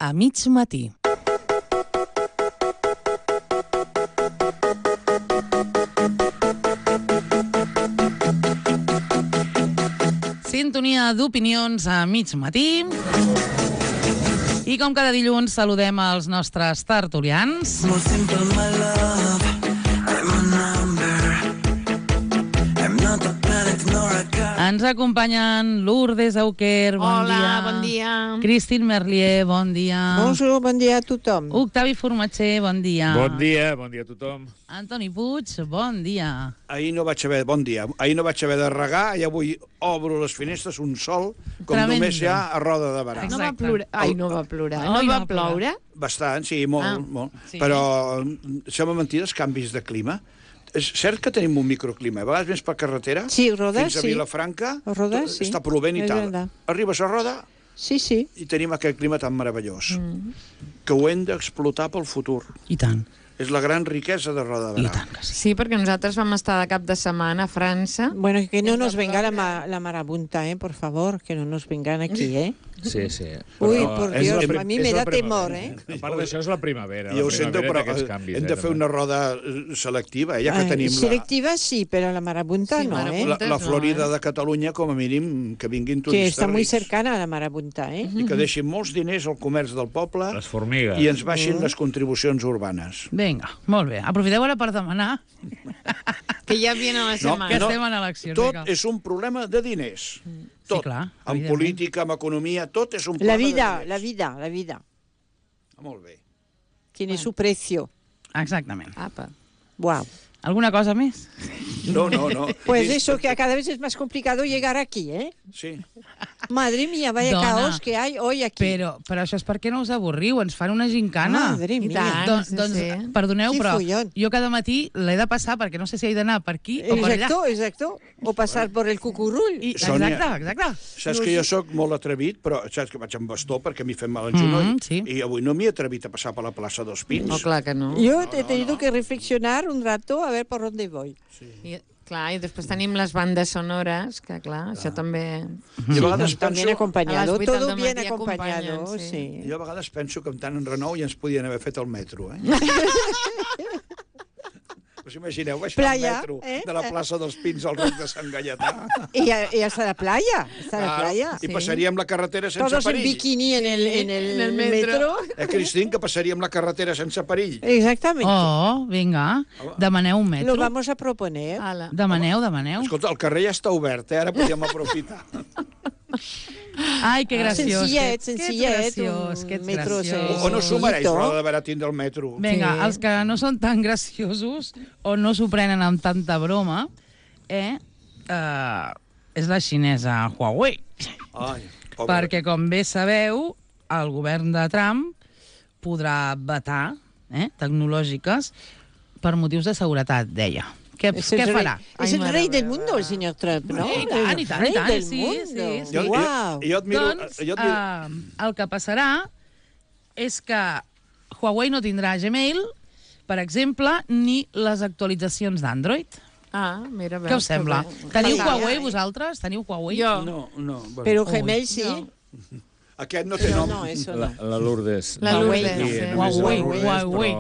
a mig matí. Sintonia d'opinions a mig matí. I com cada dilluns saludem els nostres tertulians. Ens acompanyen Lourdes Auquer, bon dia. Hola, bon dia. Christine Merlier, bon dia. Bonjour, bon dia a tothom. Octavi Formatger, bon dia. Bon dia a tothom. Antoni Puig, bon dia. Ahir no vaig haver de regar i avui obro les finestres un sol, com Tremendo. només hi ha a Roda de Barà. No va plorar. Ai, no va plorar. Ai, No va ploure? Bastant, sí, molt, molt. sí. Però sembla mentida els canvis de clima. És cert que tenim un microclima. A vegades vens per carretera, Sí, Roda, fins a sí. Vilafranca, Roda, sí. està plovent i És tal. verdad. Arribes a Roda Sí, sí. i tenim aquest clima tan meravellós, que ho hem d'explotar pel futur. I tant, És la gran riquesa de Roda de i Barà. tant que sí. Sí, perquè nosaltres vam estar de cap de setmana a França. Bueno, que no nos venga la marabunta, por favor, que no nos vengan aquí, ¿eh? Sí, sí. Uy, Però por és Dios, la a mí és me la da primavera. temor, ¿eh? A part d'això és la primavera. Ja ho sento, però Canvis, hem de fer una roda selectiva, ja que tenim Selectiva sí, pero la marabunta Sí, no, marabunta. la Florida de Catalunya, com a mínim, que vinguin Que turistes está muy rics cercana a la marabunta, ¿eh? i que deixin molts diners al comerç del poble Les formigues. i ens baixin les contribucions urbanes. Vinga, molt bé. Aprofiteu ara per demanar Que ja viene la No, setmana. que estem en eleccions. Tot vinga. és un problema de diners. Tot. Sí, clar, En evidentment. política, en economia, tot és un La problema vida, de la diners. vida, la vida. Molt bé. Tiene su precio. Exactament. Apa. Wow. Alguna cosa més? No, no, no. Pues eso, que cada vez es más complicado llegar aquí, ¿eh? Sí. Madre mía, vaya Dona, caos que hay hoy aquí. Però això és perquè no us avorriu, ens fan una gincana. Madre I mía. tant. Doncs, sí. perdoneu, Quin però follón. jo cada matí l'he de passar perquè no sé si he d'anar per aquí o per allà. Exacto, exacto. O pasar por el cucurull. I, Sònia. exacte. Saps que jo sóc molt atrevit, però saps que vaig amb bastó perquè m'hi fem mal al genoll, sí. i avui no m'hi he atrevit a passar per la plaça dels Pins. No, clar que no. Yo he tenido que reflexionar un rato a ver por dónde voy. I, clar, i després tenim les bandes sonores, que clar, això també... I a vegades También penso, acompañado, A las 8 todo del bien matí acompañado, acompanyen, sí. sí. jo a vegades penso que amb tant en renou ja ens podien haver fet el metro, eh? Us imagineu baixar Playa, el metro eh? de la plaça dels Pins al Roc de Sant Gaietà? Y hasta la playa, I passaríem la carretera sense Todos en perill. bikini en En el el metro. metro. Cristín, que passaríem la carretera sense perill. Exactamente. Oh, vinga, demaneu un metro. Lo vamos a proponer. Ala. Demaneu. Escolta, el carrer ja està obert, ara podíem aprofitar. Ai, que graciós. Sencillet, Que un metro graciós. O no s'ho mereix, Bonito. Roda de Barà tindre el metro. Vinga, Sí. els que no són tan graciosos o no s'ho prenen amb tanta broma, és la xinesa Huawei. Ai, pobre. Perquè, com bé sabeu, el govern de Trump podrà vetar tecnològiques per motius de seguretat, deia. Què farà? Es Ai, el mare rey del meva. mundo, el señor Trump, ¿no? I tant, i El tant, rey i tant, del sí, mundo. sí, sí. Wow. Jo admiro... Doncs jo admiro... el que passarà és que Huawei no tindrà Gmail, per exemple, ni les actualitzacions d'Android. Ah, mira, veus. Què us sembla? que bé. Teniu Ai, Huawei, ai. vosaltres? Teniu Huawei? Jo. No, no. Bueno. Pero Uy. Gmail sí. No. Aquest no té Pero nom. no, eso no. La Lourdes. La Només Lourdes, aquí, sí. només la Huawei, Lourdes, Huawei.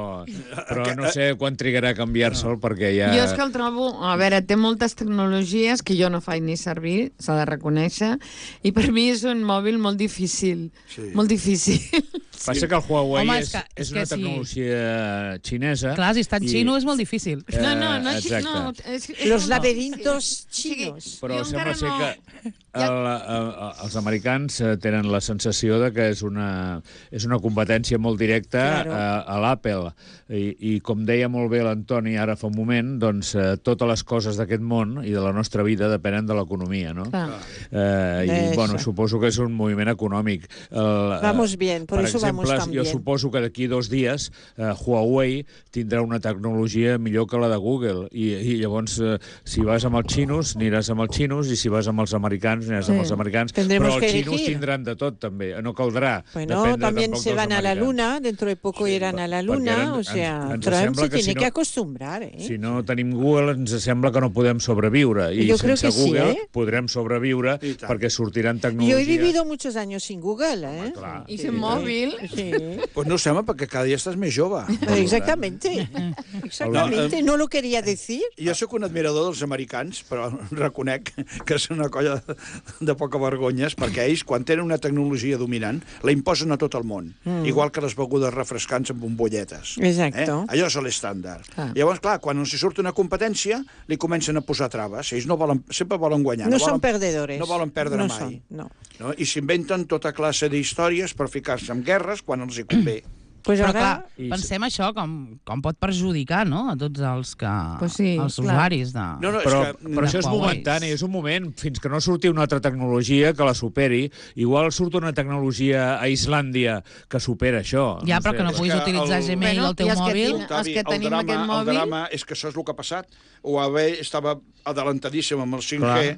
Però no sé quan trigarà a canviar-se'l, perquè ja... Jo és que el trobo... A veure, té moltes tecnologies que jo no faig ni servir, s'ha de reconèixer, i per mi és un mòbil molt difícil. Sí. Molt difícil. Passa que el Huawei Home, és és una que sí. tecnologia xinesa. Clar, si està en xino és molt difícil. No, Exacte. no, és Los no. laberintos Sí, chinos. Però jo sembla encara ser no- que els americans tenen la sensació de que és una competència molt directa Claro. a l'Apple. I com deia molt bé l'Antoni ara fa un moment, doncs totes les coses d'aquest món i de la nostra vida depenen de l'economia, no? Clar. I, bueno, Eso. suposo que és un moviment econòmic. Vamos bien, por eso vamos tan jo bien. suposo que d'aquí 2 dies Huawei tindrà una tecnologia millor que la de Google i llavors si vas amb els xinos aniràs amb els xinos i si vas amb els americans americans, aniràs amb els americans, Tendremos però que els xinos elegir. tindran de tot, també. No caldrà Bueno, dependre también tampoc se dels van a la americans. luna, dentro de poco irán a la Perquè luna, ara o sea, ens Trump sembla se que si tiene no- que acostumbrar, ¿eh? Si no tenim Google, ens sembla que no podem sobreviure. I Jo crec sense que sí, Google ¿eh? podrem sobreviure I tant. perquè sortiran Yo he tecnologies... vivido muchos años sin Google, ¿eh? Clar. I sin mòbil. Sí, Pues no ho sembla, perquè cada dia estàs més jove. exactamente. Exactamente, no lo quería decir. Jo sóc un admirador dels americans, però reconec que és una colla de poca vergonyes, perquè ells, quan tenen una tecnologia dominant, la imposen a tot el món. Igual que les begudes refrescants amb bombolletes. Exacto. Allò és l'estàndard. Ah. Llavors, clar, quan els surt una competència, li comencen a posar traves. Ells no volen, sempre volen guanyar. No volen, son perdedores. No volen perdre No mai. son, no. No? I s'inventen tota classe d'històries per ficar-se en guerres quan els hi convé. Pues Però ahora... clar, I- pensem això com pot perjudicar, no?, a tots els que... Pues sí, els clar. usuaris de... No, és Però, que... però això és Huawei. momentani, és un moment, fins que no surti una altra tecnologia que la superi. Igual surt una tecnologia a Islàndia que supera això. Ja, però que no És puguis que utilitzar el- Gmail Bueno, al teu i els que mòbil... tinc- els que tenim aquest mòbil- El drama és que això és el que ha passat. Huawei estava adelantadíssim amb el 5G,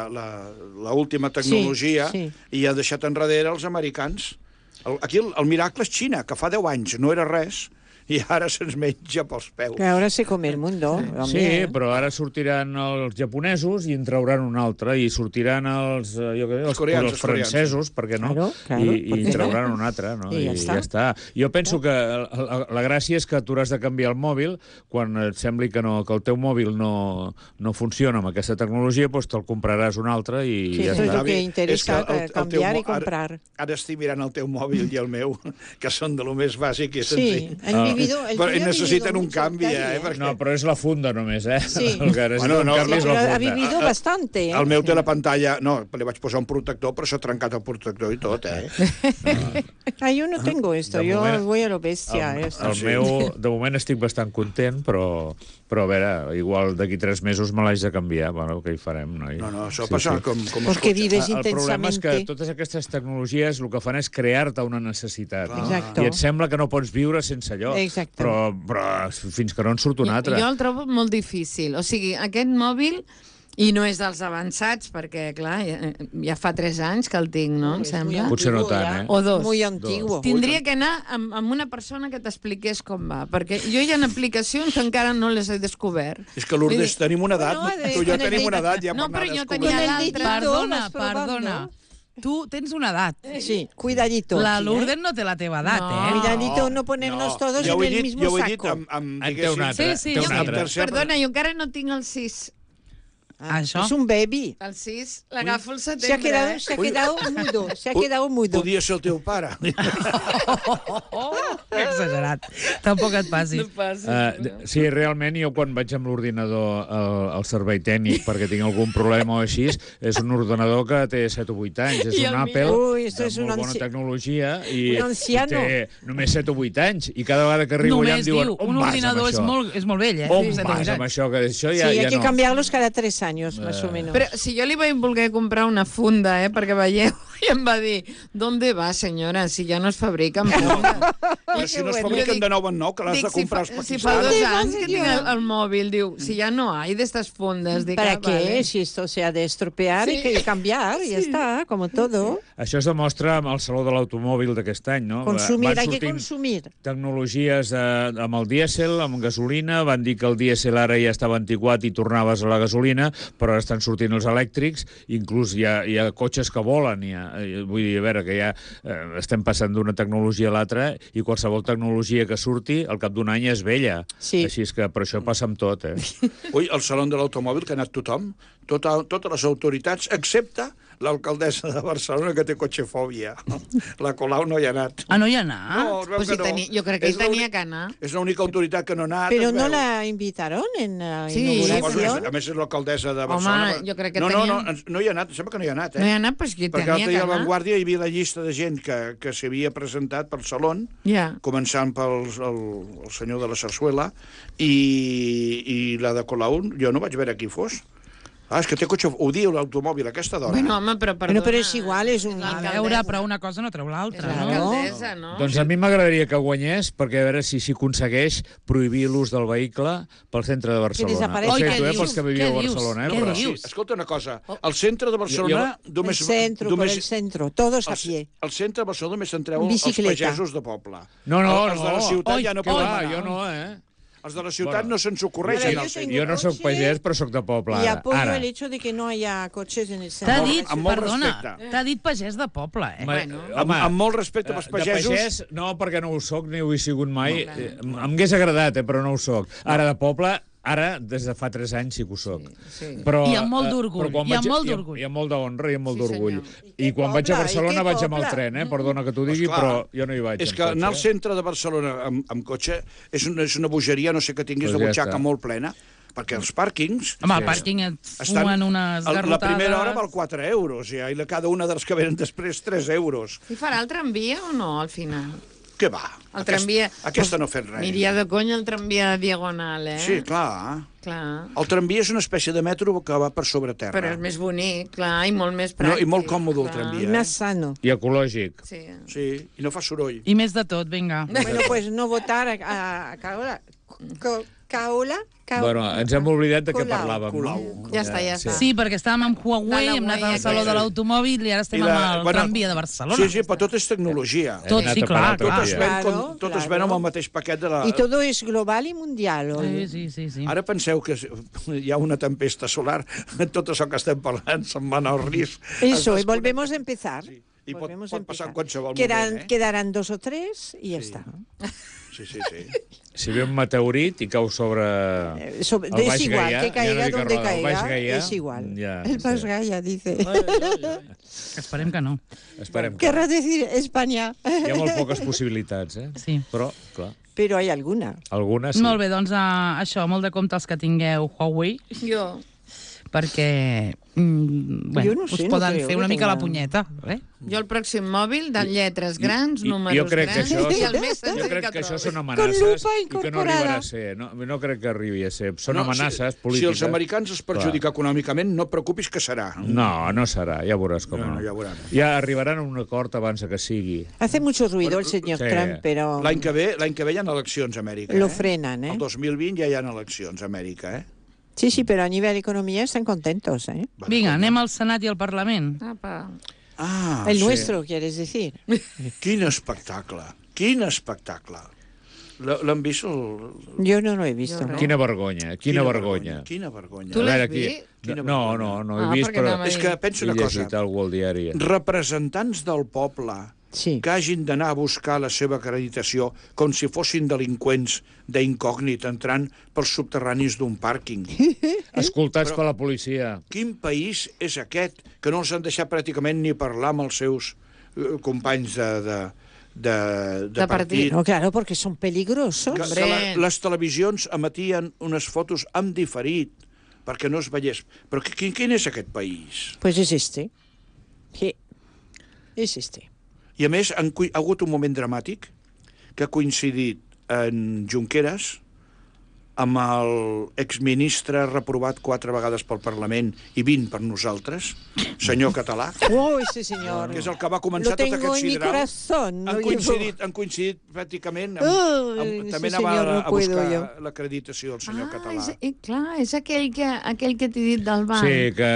la última tecnologia, Sí, i ha deixat enrere els americans. Aquí el miracle és Xina, que fa 10 anys no era res, i ara se'ns menja pels peus. Que ahora se come el mundo. Sí, hombre. però ara sortiran els japonesos i en trauran un altre, i sortiran els, jo què sé, els coreans, els francesos, per què no? Claro, claro, I ¿por en qué trauran no? un altre, no? I ja està. Jo penso que la gràcia és que tu has de canviar el mòbil quan et sembli que el teu mòbil no funciona amb aquesta tecnologia, doncs te'l compraràs un altre i Sí, ja eso es està. lo que interesa, el teu cambiar y mo- comprar. Ara estic mirant el teu mòbil i el meu, que són de lo més bàsic i Sí, senzill. han vivido... El Però tuyo ha necessiten vivido un mucho canvi, detalle, perquè... No, però és la funda només, eh? Sí. El que necessita Bueno, no, un canvi és Pero la ha funda. vivido bastante, ¿eh? El meu té la pantalla... No, li vaig posar un protector, però s'ha trencat el protector i tot, eh? Ah, yo no tengo esto, De yo moment- voy a lo bestia. esto. El meu, de moment estic bastant content, però a veure, igual d'aquí 3 mesos me l'haig de canviar. Bueno, què hi farem, noi? No, això passa com els Porque cotxes. vives El problema és que intensamente. totes aquestes tecnologies el que fan és crear-te una necessitat. No? Exacto. I et sembla que no pots viure sense allò. Exacto. Però fins que no en surt un altre. Jo el trobo molt difícil. O sigui, aquest mòbil, i no és dels avançats, perquè, clar, ja fa 3 anys que el tinc, no? Em Es muy sembla. Potser no antiguo tant, ya. eh? O 2. Muy antiguo. Tindria que anar amb una persona que t'expliqués com va, perquè jo hi ha aplicacions que encara no les he descobert. És que, Lourdes, tenim una edat, Bueno, tu i jo con el tenim una dedito. edat ja No, per anar però jo descobrint. tenia Con el l'altra. dedito Perdona, vas probando. perdona. Tu tens una edat. Sí, cuidadito. La aquí, Lourdes no té la teva edat, No. eh? Cuidadito no ponernos todos Jo ho he en el dit, mismo jo ho he dit saco. amb En té un altre. Sí, sí, té jo- un altre. tercer- Perdona, jo encara no tinc el 6. Això? Es un baby. El 6 l'agafo al Se ha setembre. quedado, se ha quedado mudo, se ha quedado mudo. Podia ser el teu pare. Oh, que exagerat. Tampoc et passis. Sí, realment, jo quan vaig amb l'ordinador al servei tècnic perquè tinc algun problema o així, és un ordenador que té 7 o 8 anys, és I un el Apple Ui, esto de és un molt bona anci- tecnologia i un anciano. té només 7 o 8 anys i cada vegada que arribo allà em Només diuen diu, on un vas ordinador amb és això? molt vell, eh? On Sí, vas amb això? Que això Sí, ja, hay ja que no. cambiarlos cada 3 años, más o menos. Però si jo li vaig voler comprar una funda, perquè veieu, i em va dir, ¿dónde va, senyora, si ja no es fabriquen fundes? Però si no es fabriquen de nou en nou, que l'has de comprar als si fa 2 pakistanos. anys que tinc el mòbil, diu, si ja no hay d'estas fundes. Dic, ¿Para ah, qué? vale. Si esto se ha de estropear, Sí. hay que cambiar, ya está, como todo. Això es demostra amb el Saló de l'Automòbil d'aquest any, no? Consumir, Van hay que sortint consumir. tecnologies amb el dièsel, amb gasolina, van dir que el dièsel ara ja estava antiquat i tornaves a la gasolina, però ara estan sortint els elèctrics, inclús hi ha cotxes que volen, vull dir, a veure, que ja estem passant d'una tecnologia a l'altra i qualsevol tecnologia que surti al cap d'un any és vella. Sí. Així és que per això passa amb tot, eh? Ui, al Saló de l'Automòbil, que ha anat tothom, totes les autoritats, excepte l'alcaldessa de Barcelona, que té cotxefòbia. La Colau no hi ha anat. Ah, no hi ha anat? No, es veu Pues si que no. jo crec que És hi tenia l'únic- que anar. És l'única autoritat que no ha anat. Pero es no veu. la invitaron en la Sí, inauguración. A més, és l'alcaldessa de Home, Barcelona. jo crec que no, tenien- no hi ha anat, sembla que no hi ha anat, No hi ha anat, pues que Perquè tenia l'altre que dia a anar. Vanguardia hi havia la llista de gent que s'havia presentat pel Salón, Ja. començant pel el senyor de la Sarsuela, i la de Colau jo no vaig veure qui fos. És que té cotxe... Ho diu l'automòbil aquesta dona. Bueno, home, però perdona. Bueno, però és igual, és un... A veure, però una cosa no treu l'altra, És no? l'alcaldessa, no? Doncs a mi m'agradaria que guanyés, perquè a veure si aconsegueix prohibir l'ús del vehicle pel centre de Barcelona. desapareixi. Oi, Ho què sento, dius? pels que viviu Què a dius? Barcelona, Què però... dius? Escolta una cosa, al centre de Barcelona El només... centro, por el centro, todos a pie. Al centre de Barcelona només entreu els Bicicleta. pagesos de poble. No, Els de la ciutat ja no poden Clar, anar. jo no, Els de la ciutat Bueno. no se'ns ocorreix Mira, anar al jo centre. tengo- Jo no sóc pagès, però sóc de poble, Y ara. apoyo Ara. el hecho de que no haya coches en el T'ha centro. dit, amb molt perdona, respecte. t'ha dit pagès de poble, eh? Amb molt respecte pels pagesos... De pagès, no, perquè no ho soc, ni ho he sigut mai. Em hagués agradat, però no ho soc. Ara, de poble, ara, des de fa 3 anys sí que ho soc. Sí. Però, I amb molt d'orgull, però quan i amb vaig- molt d'orgull. I amb molt d'honra i amb molt Sí, d'orgull. senyor. I quan vaig a poble, Barcelona i que vaig amb el poble. tren, perdona que t'ho digui, Esclar. però jo no hi vaig És amb que anar al cotxe. centre de Barcelona amb cotxe és una bogeria, no sé que tinguis Pues de ja butxaca està. molt plena, perquè els pàrquings... Home, al pàrquing et fuen unes garrotades... La primera hora val 4 euros, ja, i cada una dels que venen després 3 euros. I farà el tramvia o no, al final? Què va? El tramvia... Aquesta no ha fet res. Aniria de conya el tramvia diagonal, eh? Sí, clar. Clar. El tramvia és una espècie de metro que va per sobre terra. Però és més bonic, clar, i molt més No, pràctic. i molt còmode el clar. tramvia. Más sano. I ecològic. Sí. Sí, i no fa soroll. I més de tot, vinga. Bueno, pues no votar a Caola. Caola? Bueno, ens hem oblidat de què Colau. parlàvem. Colau. No? Ja està, ja està. Sí, perquè estàvem amb Huawei, hem anat al Saló de l'Automòbil i ara estem amb el tramvia de Barcelona. Sí, sí, però tot és tecnologia. Tot, sí, clar, Tot clar. es ven, Claro, tot es claro. ven amb el mateix paquet de la... Y todo es global y mundial. Sí, hoy. sí, sí, sí. Ara penseu que hi ha una tempesta solar, tot això que estem parlant se'n va anar al risc. Eso, Es y volvemos a empezar. Sí. I pot Volvemos a passar en empezar. qualsevol moment, eh? Quedarán 2 o 3 y ya está. Sí, sí, sí. Si ve un meteorit i cau sobre... Es Baix igual, Gaià, que ja caiga no dic donde el Baix caiga, Gaià, es igual. ja, El Baix sí. Gaià dice. Esperem que no. Esperem que... Querrá decir España. Hi ha molt poques possibilitats, Sí. Però, clar, Pero hay alguna. algunes sí. Molt bé, doncs això, molt de compte els que tingueu Huawei, Jo. perquè bueno, Jo no sé, us no poden creo fer que una mica tenga- la punyeta. Jo el pròxim mòbil de lletres grans, números jo crec que grans, això, i el més jo senzill crec que que això trobis. són Con amenaces lupa i que no incorporada. arribarà a ser. No crec que arribi a ser. Són No, amenaces si polítiques. els americans es perjudica econòmicament, no et preocupis que serà. No, no serà, ja veuràs com No, no. ja veurem. Ja arribaran a un acord abans que sigui. Hace mucho ruido el señor Sí. Trump, pero L'any que ve hi ha eleccions a Amèrica. lo frenan, ¿eh? El 2020 ja hi ha eleccions a Amèrica, eh? Sí, sí, pero a nivel economía están contentos, ¿eh? Vinga, anem al Senat i al Parlament. Apa. Ah, El sí. nuestro, quieres decir. Quin espectacle, quin espectacle. L'han vist? Yo no lo he visto. Yo ¿no? Quina vergonya, quina vergonya. Quina vergonya. Tu A l'has veure, aquí- vist? Quina No, vergonya. no he vist, perquè però anava a És que penso he una cosa. llegit algú al diari. Representants del poble Sí. que hagin d'anar a buscar la seva acreditació com si fossin delinqüents d'incògnit entrant pels subterranis d'un pàrquing. Escoltats per la policia. Quin país és aquest que no els han deixat pràcticament ni parlar amb els seus companys de partit? No, claro, porque son peligrosos. Hombre. Les televisions emetien unes fotos amb diferit perquè no es veiés. Però quin és aquest país? Pues es este. Sí. Es este. I a més, ha hagut un moment dramàtic que ha coincidit en Junqueras amb l'exministre reprovat 4 vegades pel Parlament i 20 per nosaltres, senyor Català, Oh, ese señor. que és el que va començar Lo tot tengo aquest en mi sideral. corazón. lo Han coincidit pràcticament també ese anava senyor no a puedo buscar yo. l'acreditació el senyor Català. Clar, és aquell que t'he dit del banc. Sí, que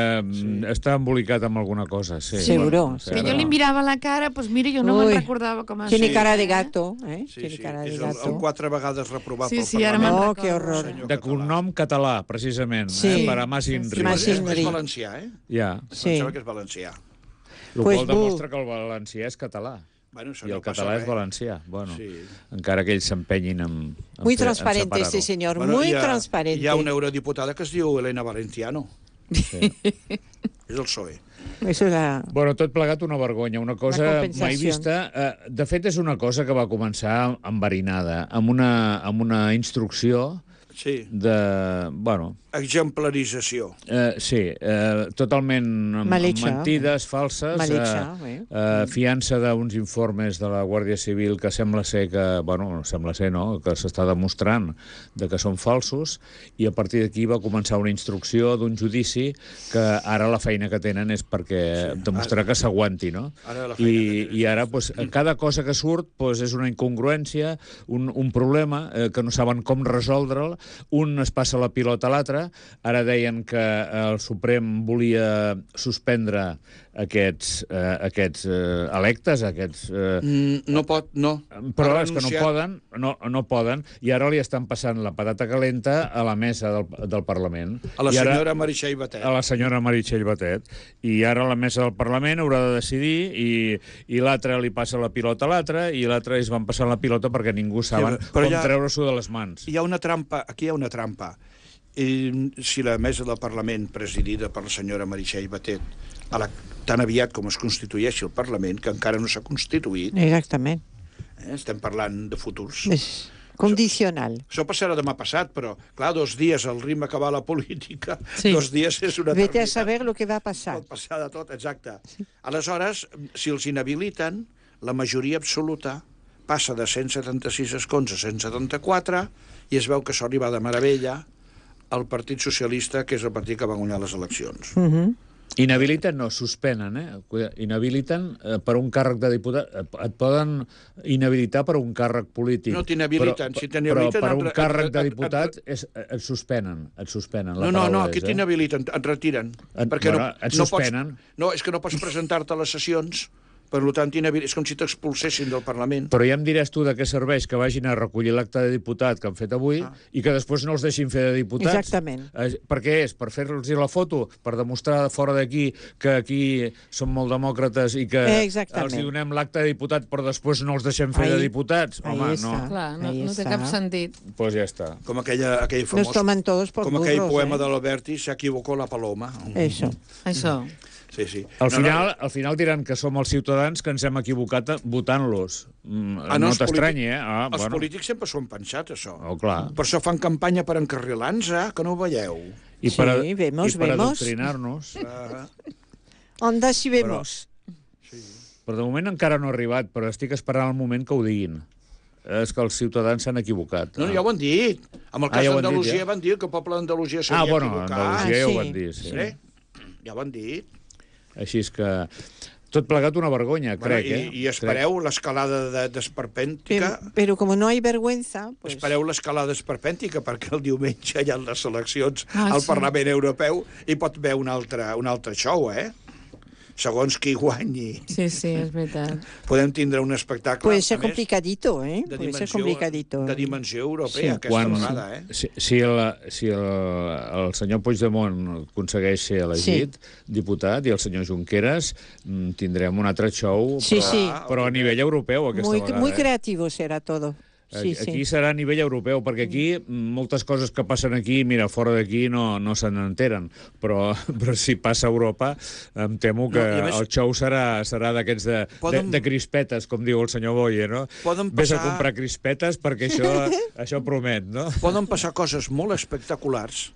està embolicat amb alguna cosa, sí. Seguro, Sí, Que ara jo li no. mirava la cara, doncs mira, jo no Uy. me'n recordava com es Tiene deia, cara de eh? gato, ¿eh? Sí, Tiene sí, cara de és el gato. 4 vegades reprovat Sí, pel sí, ara Parlament. me'n Oh, qué recordo. horror. Senyor De Català. cognom català, precisament, Sí. per a Mas Inri. Mas És Inri. valencià, eh? Ja, Sí. Em sembla que és valencià. el Pues qual bu. demostra que el valencià és català. Bueno, això I no el passa català és res. valencià. Bueno, Sí. encara que ells s'empenyin en Muy en transparente este separar-ho. señor, Bueno, muy hi ha- transparente. Hi ha una eurodiputada que es diu Elena Valenciano. Sí. És el PSOE. Eso es la... Bueno, tot plegat una vergonya, una Una cosa compensació. mai vista. De fet, és una cosa que va començar enverinada, amb una instrucció Sí. Bueno, exemplarització. Sí, totalment Malecha, mentides, falses, Malecha, fiança d'uns informes de la Guàrdia Civil que sembla ser que, bueno, sembla ser, no?, que s'està demostrant de que són falsos, i a partir d'aquí va començar una instrucció d'un judici que ara la feina que tenen és perquè demostrar que s'aguanti, no? I ara, pues, cada cosa que surt pues, és una incongruència, un problema que no saben com resoldre'l, un es passa la pilota a l'altre. Ara deien que el Suprem volia suspendre aquests electes, aquests... No pot, no. Però és que no poden, i ara li estan passant la patata calenta a la mesa del Parlament. A la senyora Meritxell Batet. A la senyora Meritxell Batet. I ara la mesa del Parlament haurà de decidir, i l'altre li passa la pilota a l'altre, i l'altre es van passant la pilota perquè ningú saben com treure-s'ho de les mans. Hi ha una trampa, aquí hi ha una trampa. Si la mesa del Parlament, presidida per la senyora Meritxell Batet, tan aviat com es constitueixi el Parlament, que encara no s'ha constituït... Exactament. Estem parlant de futurs. És condicional. Això passarà demà passat, però, clar, 2 dies al ritme que va la política, 2 dies és una Vete a saber lo que va passar. Pot passar de tot, exacte. Aleshores, si els inhabiliten, la majoria absoluta passa de 176 escons a 174 i es veu que això li va de meravella al Partit Socialista, que és el partit que va guanyar les eleccions. Inhabiliten, no, suspenen, Inhabiliten per un càrrec de diputat. Et poden inhabilitar per un càrrec polític. No t'inhabiliten. Si t'inhabiliten... Però per un càrrec de diputat et suspenen. No, aquí t'inhabiliten, et retiren. Et suspenen. No, és que no pots presentar-te a les sessions. Per tant, és com si t'expulsessin del Parlament. Però ja em diràs tu de què serveix que vagin a recollir l'acte de diputat que han fet avui i que després no els deixin fer de diputats. Exactament. Per què és? Per fer-los la foto? Per demostrar fora d'aquí que aquí som molt demòcrates i que els donem l'acte de diputat però després no els deixem fer de diputats? Home, no. Clar, no té cap sentit. Pues ja està. Com aquell famós... Nos toman todos por burros. Com aquell poema de l'Alberti, se equivocó la paloma. Això. Sí. Al final diran que som els ciutadans que ens hem equivocat votant-los. No t'estranyi, Els polítics sempre s'ho han pensat, això. Clar. Per això fan campanya per encarrilar-nos, que no ho veieu. I per adoctrinar-nos. Onda si vemos. Però de moment encara no ha arribat, però estic esperant el moment que ho diguin. És que els ciutadans s'han equivocat. No, ja ho han dit. En el cas d'Andalusia van dir que el poble d'Andalusia s'havia equivocat. Andalusia ja ho van dir, sí. Ja ho han dit. Així és que tot plegat una vergonya, crec. I espereu l'escalada d'esperpèntica. Però com no hi ha vergüenza... Espereu l'escalada esperpèntica perquè el diumenge hi ha les eleccions al Parlament Europeu i pot haver un altre show, segons qui guanyi. Sí, és veritat. Podem tindre un espectacle... Puede ser complicadito, De dimensió europea, aquesta vegada, Si el senyor Puigdemont aconsegueix ser elegit diputat i el senyor Junqueras, tindrem un altre show, però a nivell europeu aquesta vegada. Muy creativo será todo. Aquí serà a nivell europeu, perquè aquí moltes coses que passen aquí, mira, fora d'aquí no se n'enteren, però si passa a Europa em temo que el show serà d'aquests de crispetes, com diu el senyor Boye, no? Ves a comprar crispetes perquè això promet, no? Poden passar coses molt espectaculars,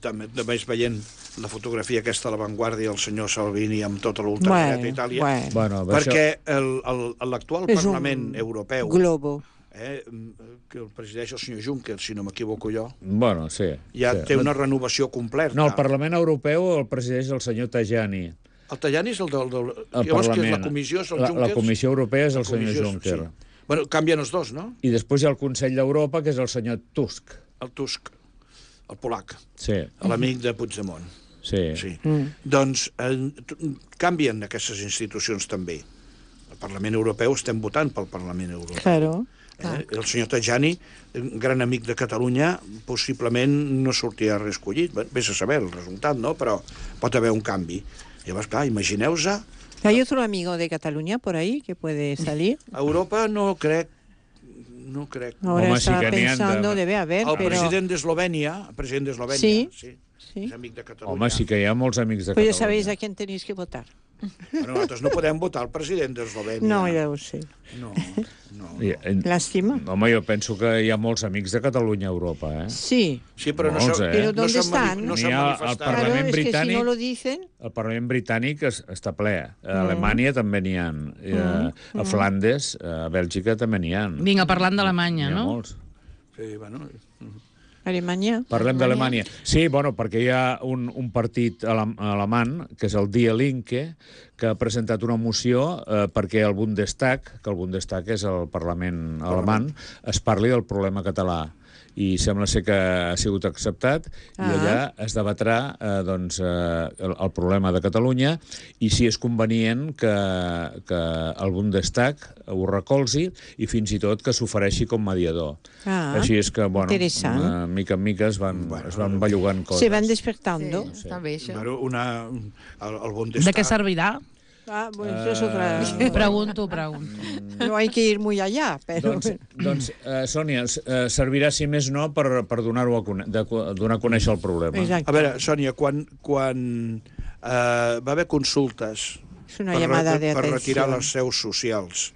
també veient la fotografia aquesta de l'avantguàrdia del senyor Salvini amb tota l'ultradreta a Itàlia, perquè l'actual Parlament Europeu que el presideix el senyor Juncker, si no m'equivoco jo, té una renovació completa. No, el Parlament Europeu el presideix el senyor Tajani. El Tajani és el del... Llavors, que és la comissió, és el Juncker? La comissió europea és el senyor Juncker. Bueno, canvien els dos, no? I després hi ha el Consell d'Europa, que és el senyor Tusk. El Tusk, el polac, sí, l'amic de Puigdemont. Sí. Doncs canvien aquestes institucions també. El Parlament Europeu estem votant pel Parlament Europeu. Claro. El senyor Tajani, gran amic de Catalunya, possiblement no sortirà reescollit. Vés a saber el resultat, no? Però pot haver un canvi. Llavors, clar, imagineu-se... ¿Hay otro amigo de Cataluña por ahí que puede salir? A Europa no crec. Ahora estaba pensando, debe haber, el pero... president d'Eslovènia, sí, és amic de Catalunya. Home, sí que hi ha molts amics de Catalunya. Pues ya sabéis a quién tenéis que votar. Però nosaltres no podem votar el president d'Eslovènia. No, ja ho sé. No. Lástima. Home, jo penso que hi ha molts amics de Catalunya a Europa, eh? Sí. Sí, però no Molts, s'han Però ¿dónde están? no N'hi s'han ha al manifestat. Parlament Claro, es que si britànic. no lo dicen... El Parlament britànic està ple. A Alemanya també n'hi ha. A Flandes, a Bèlgica també n'hi ha. Vinga, parlant d'Alemanya, N'hi ha no? molts. Sí, bueno, Alemanya. Parlem d'Alemanya. Sí, bueno, perquè hi ha un partit alemany, que és el Die Linke, que ha presentat una moció perquè el Bundestag, que el Bundestag és el Parlament alemany, es parli del problema català. I sembla ser que ha sigut acceptat i allà es debatrà el problema de Catalunya i si és convenient que el Bundestag ho recolzi i fins i tot que s'ofereixi com mediador. Així és que, bueno, mica en mica es van bellugant coses. Se van despertando. Sí, està bé, això. Bueno, el Bundestag... De què servirà? Bueno, es otra... Pregunto. No hay que ir muy allá, pero... Doncs Sònia, servirà, si més no, per donar-ho donar a conèixer el problema. Exacte. A veure, Sònia, quan va haver consultes Es una llamada de per retirar atención. les seus socials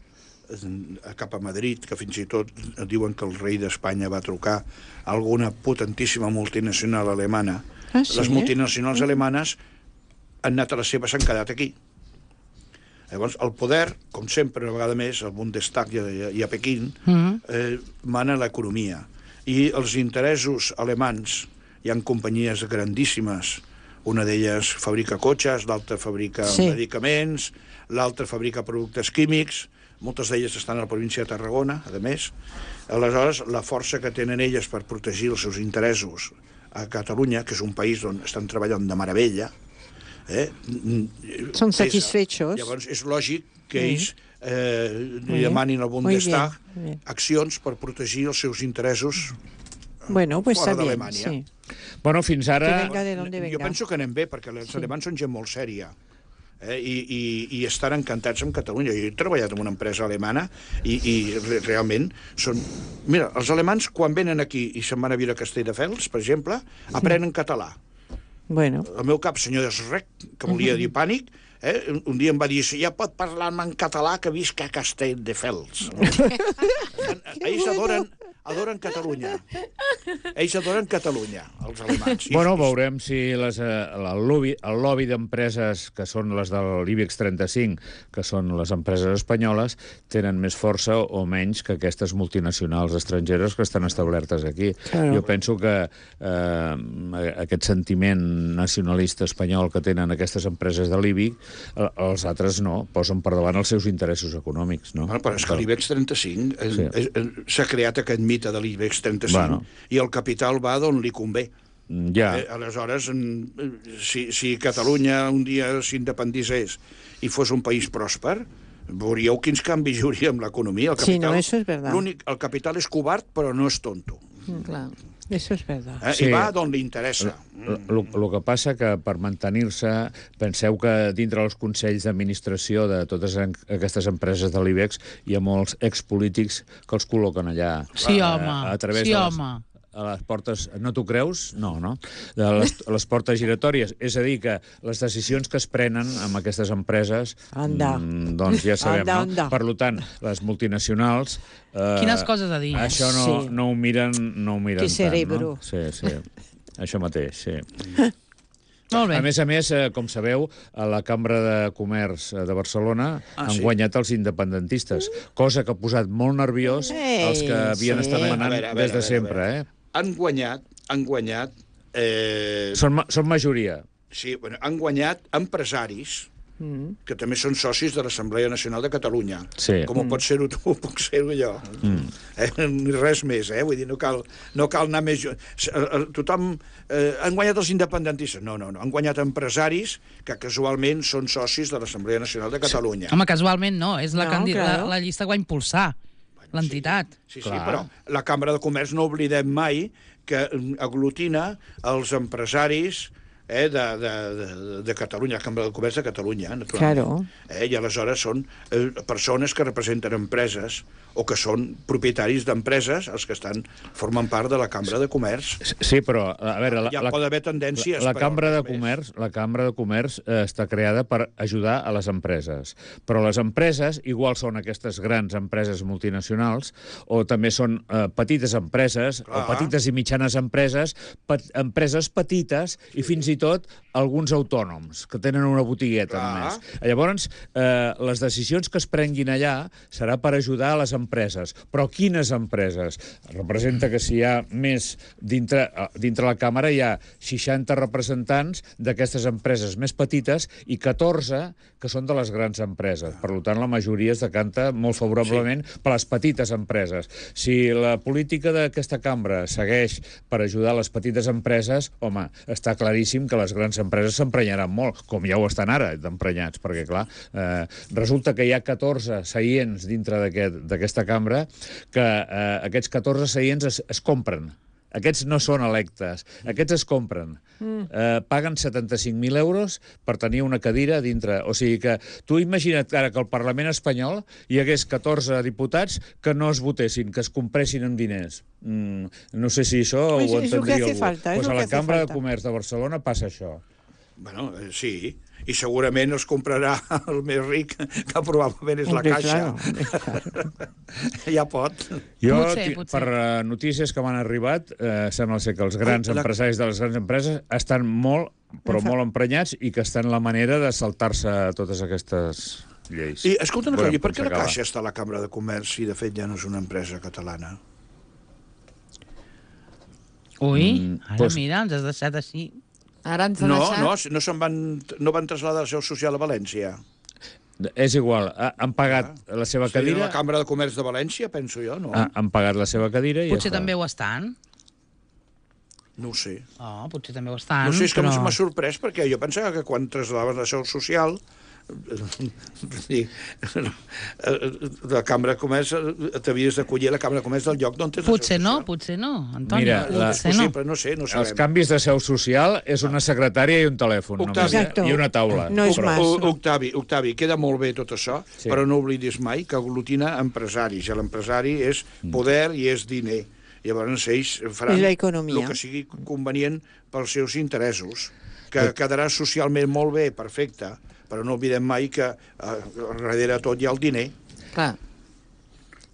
cap a Madrid, que fins i tot diuen que el rei d'Espanya va trucar a alguna potentíssima multinacional alemana. Ah, sí? Les multinacionals alemanes han anat a les seves, s'han quedat aquí. Llavors, el poder, com sempre, una vegada més, al Bundestag i a Pequín, mana l'economia. I els interessos alemans, hi ha companyies grandíssimes, una d'elles fabrica cotxes, l'altra fabrica medicaments, l'altra fabrica productes químics, moltes d'elles estan a la província de Tarragona, a més. Aleshores, la força que tenen elles per protegir els seus interessos a Catalunya, que és un país on estan treballant de meravella, Són satisfechos. Llavors, és lògic que ells li demanin al Bundestag accions per protegir els seus interessos bueno, pues fora está bien, d'Alemanya. sí. Bueno, fins ara... Que venga de donde venga. Jo penso que anem bé, perquè els alemans són gent molt sèria. I estan encantats amb Catalunya. Jo he treballat en una empresa alemana i realment són... Mira, els alemans, quan venen aquí i se'n van a viure a Castelldefels, per exemple, aprenen català. Bueno. El meu cap, senyor Desrec, que volia dir pànic, un dia em va dir, ja pot parlar-me en català que visc a Castelldefels. Ells adoren Catalunya. Ells adoren Catalunya, els alemans. Bueno, veurem si el lobby d'empreses que són les de l'IBEX 35, que són les empreses espanyoles, tenen més força o menys que aquestes multinacionals estrangeres que estan establertes aquí. Claro. Jo penso que aquest sentiment nacionalista espanyol que tenen aquestes empreses de l'IBEX, els altres no, posen per davant els seus interessos econòmics. No? Bueno, però és que l'IBEX 35 s'ha creat aquest mite de l'IBEX 35 i el capital va d'on li convé. Ja. Aleshores, si Catalunya un dia s'independissés i fos un país pròsper, veuríeu quins canvis hi hauria amb l'economia. Sí, no, eso es verdad. El capital és covard, però no és tonto. Clar. Eso es verdad. I va d'on li interessa. El que passa que per mantenir-se, penseu que dintre els consells d'administració de totes aquestes empreses de l'IBEX hi ha molts expolítics que els col·loquen allà. Sí, home. A través sí, de home. a les portes... No t'ho creus? No, no? De les portes giratòries. És a dir, que les decisions que es prenen amb aquestes empreses, doncs ja sabem, no? Per tant, les multinacionals... Quines coses a dir. Això no ho miren Que cerebro. tant, no? Sí. Això mateix, sí. Molt bé. A més, com sabeu, a la Cambra de Comerç de Barcelona han guanyat els independentistes, cosa que ha posat molt nerviós els que havien estat manant des de sempre. Han guanyat... Són majoria. Sí, han guanyat empresaris que també són socis de l'Assemblea Nacional de Catalunya. Sí. Com pot ser-ho tu, puc ser-ho jo. Res més, vull dir, no cal anar més... Tothom... Han guanyat els independentistes? No. Han guanyat empresaris que casualment són socis de l'Assemblea Nacional de Catalunya. Home, casualment no, és la llista que va impulsar l'entitat. Sí, però la Cambra de Comerç no oblidem mai que aglutina els empresaris de Catalunya, la Cambra de Comerç de Catalunya, naturalment. Claro. I aleshores són persones que representen empreses o que són propietaris d'empreses, els que formen part de la Cambra de Comerç. Sí, però, a veure... Ja pot haver tendències... La Cambra de Comerç està creada per ajudar a les empreses. Però les empreses, igual són aquestes grans empreses multinacionals, o també són petites empreses, o petites i mitjanes empreses, empreses petites i fins i tot alguns autònoms que tenen una botigueta només. Llavors, les decisions que es prenguin allà serà per ajudar a les empreses. Però quines empreses? Representa que si hi ha més... Dintre la Càmera hi ha 60 representants d'aquestes empreses més petites i 14 que són de les grans empreses. Per tant, la majoria es decanta molt favorablement per les petites empreses. Si la política d'aquesta cambra segueix per ajudar les petites empreses, home, està claríssim que les grans empreses s'emprenyaran molt, com ja ho estan ara, d'emprenyats, perquè, clar, resulta que hi ha 14 seients dintre d'aquesta cambra que aquests 14 seients es compren. Aquests no són electes, aquests es compren. Paguen 75.000 euros per tenir una cadira dintre. O sigui que tu imagina't ara que al Parlament espanyol hi hagués 14 diputats que no es votessin, que es compressin amb diners. No sé si això ho entendria algú. Pues a la Cambra de Comerç de Barcelona passa això. Bueno, sí, i segurament es comprarà el més ric, que probablement és la Caixa. Ja pot. Jo, per notícies que m'han arribat, sembla ser que els grans empresaris de les grans empreses estan molt, però molt emprenyats i que estan la manera de saltar-se totes aquestes lleis. I escolta una cosa, per què la Caixa està a la Cambra de Comerç si de fet ja no és una empresa catalana? Ui, ara mira, ens has deixat així... No van traslladar la seu social a València. És igual, han pagat la seva cadira... La Cambra de Comerç de València, penso jo, no? Han pagat la seva cadira i potser també ho estan. No ho sé. Potser també ho estan. No sé, és que m'ha sorprès, perquè jo pensava que quan trasladaves la seu social... la Cambra de Comerç t'havies d'acollir a la Cambra de Comerç del lloc d'on tens la seu social. Potser no, Antoni. Mira, no sé, no sabem. Els canvis de seu social és una secretària i un telèfon i una taula. No és mas. Octavi, queda molt bé tot això, però no oblidis mai que aglutina empresaris, i l'empresari és poder i és diner. Llavors ells faran el que sigui convenient pels seus interessos, que quedarà socialment molt bé, perfecte, però no oblidem mai que darrere tot hi ha el diner. Clar.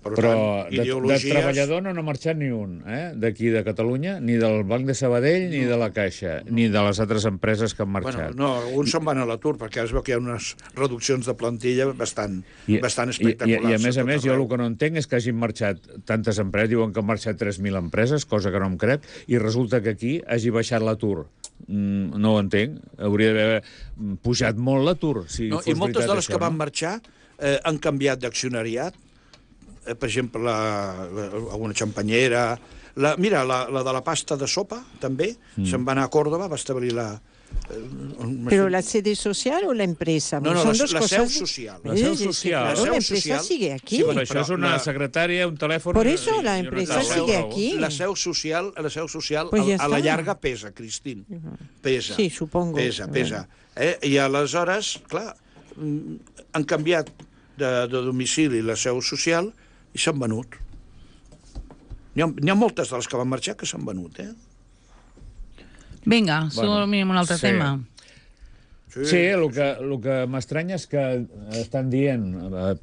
Però de treballador no n'ha marxat ni un, d'aquí de Catalunya, ni del Banc de Sabadell, ni de la Caixa, ni de les altres empreses que han marxat. No, alguns se'n van a l'atur, perquè es veu que hi ha unes reduccions de plantilla bastant espectaculars. I a més, jo el que no entenc és que hagin marxat tantes empreses, diuen que han marxat 3.000 empreses, cosa que no em crec, i resulta que aquí hagi baixat l'atur. No ho entenc. Hauria d'haver pujat molt l'atur, si fos veritat això. I moltes de les que van marxar han canviat d'accionariat. Per exemple, alguna xampanyera... Mira, la de la pasta de sopa, també, se'n va anar a Còrdova, va establir la... ¿Pero la sede social o la empresa? No, la seu social. La seu social. Claro, la empresa sigue aquí. Sí, però això és una secretària, un telèfon... Por eso la empresa sigue aquí. La seu social a la llarga pesa, Cristín. Pesa. Sí, supongo. Pesa. I aleshores, clar, han canviat de domicili la seu social i s'han venut. N'hi ha moltes de les que van marxar que s'han venut, Vinga, som un altre tema. Sí, el que m'estranya és que estan dient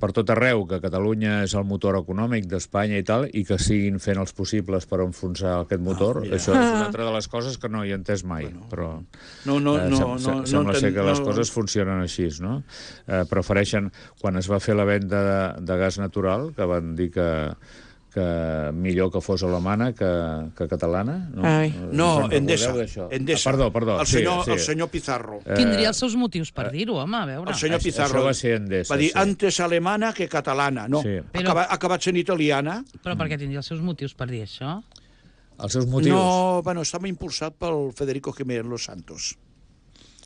per tot arreu que Catalunya és el motor econòmic d'Espanya i tal, i que siguin fent els possibles per enfonsar aquest motor. Això és una altra de les coses que no hi he entès mai, però sembla ser que les coses funcionen així, no? Prefereixen, quan es va fer la venda de gas natural, que van dir que millor que fos alemana que catalana. No, Endesa. Perdó. El senyor Pizarro. Tindria els seus motius per dir-ho, home, a veure. El senyor Pizarro va ser Endesa, va dir antes alemana que catalana. No, ha acabat sent italiana. Però per què tindria els seus motius per dir això? Els seus motius? No, estava impulsat pel Federico Jiménez Los Santos.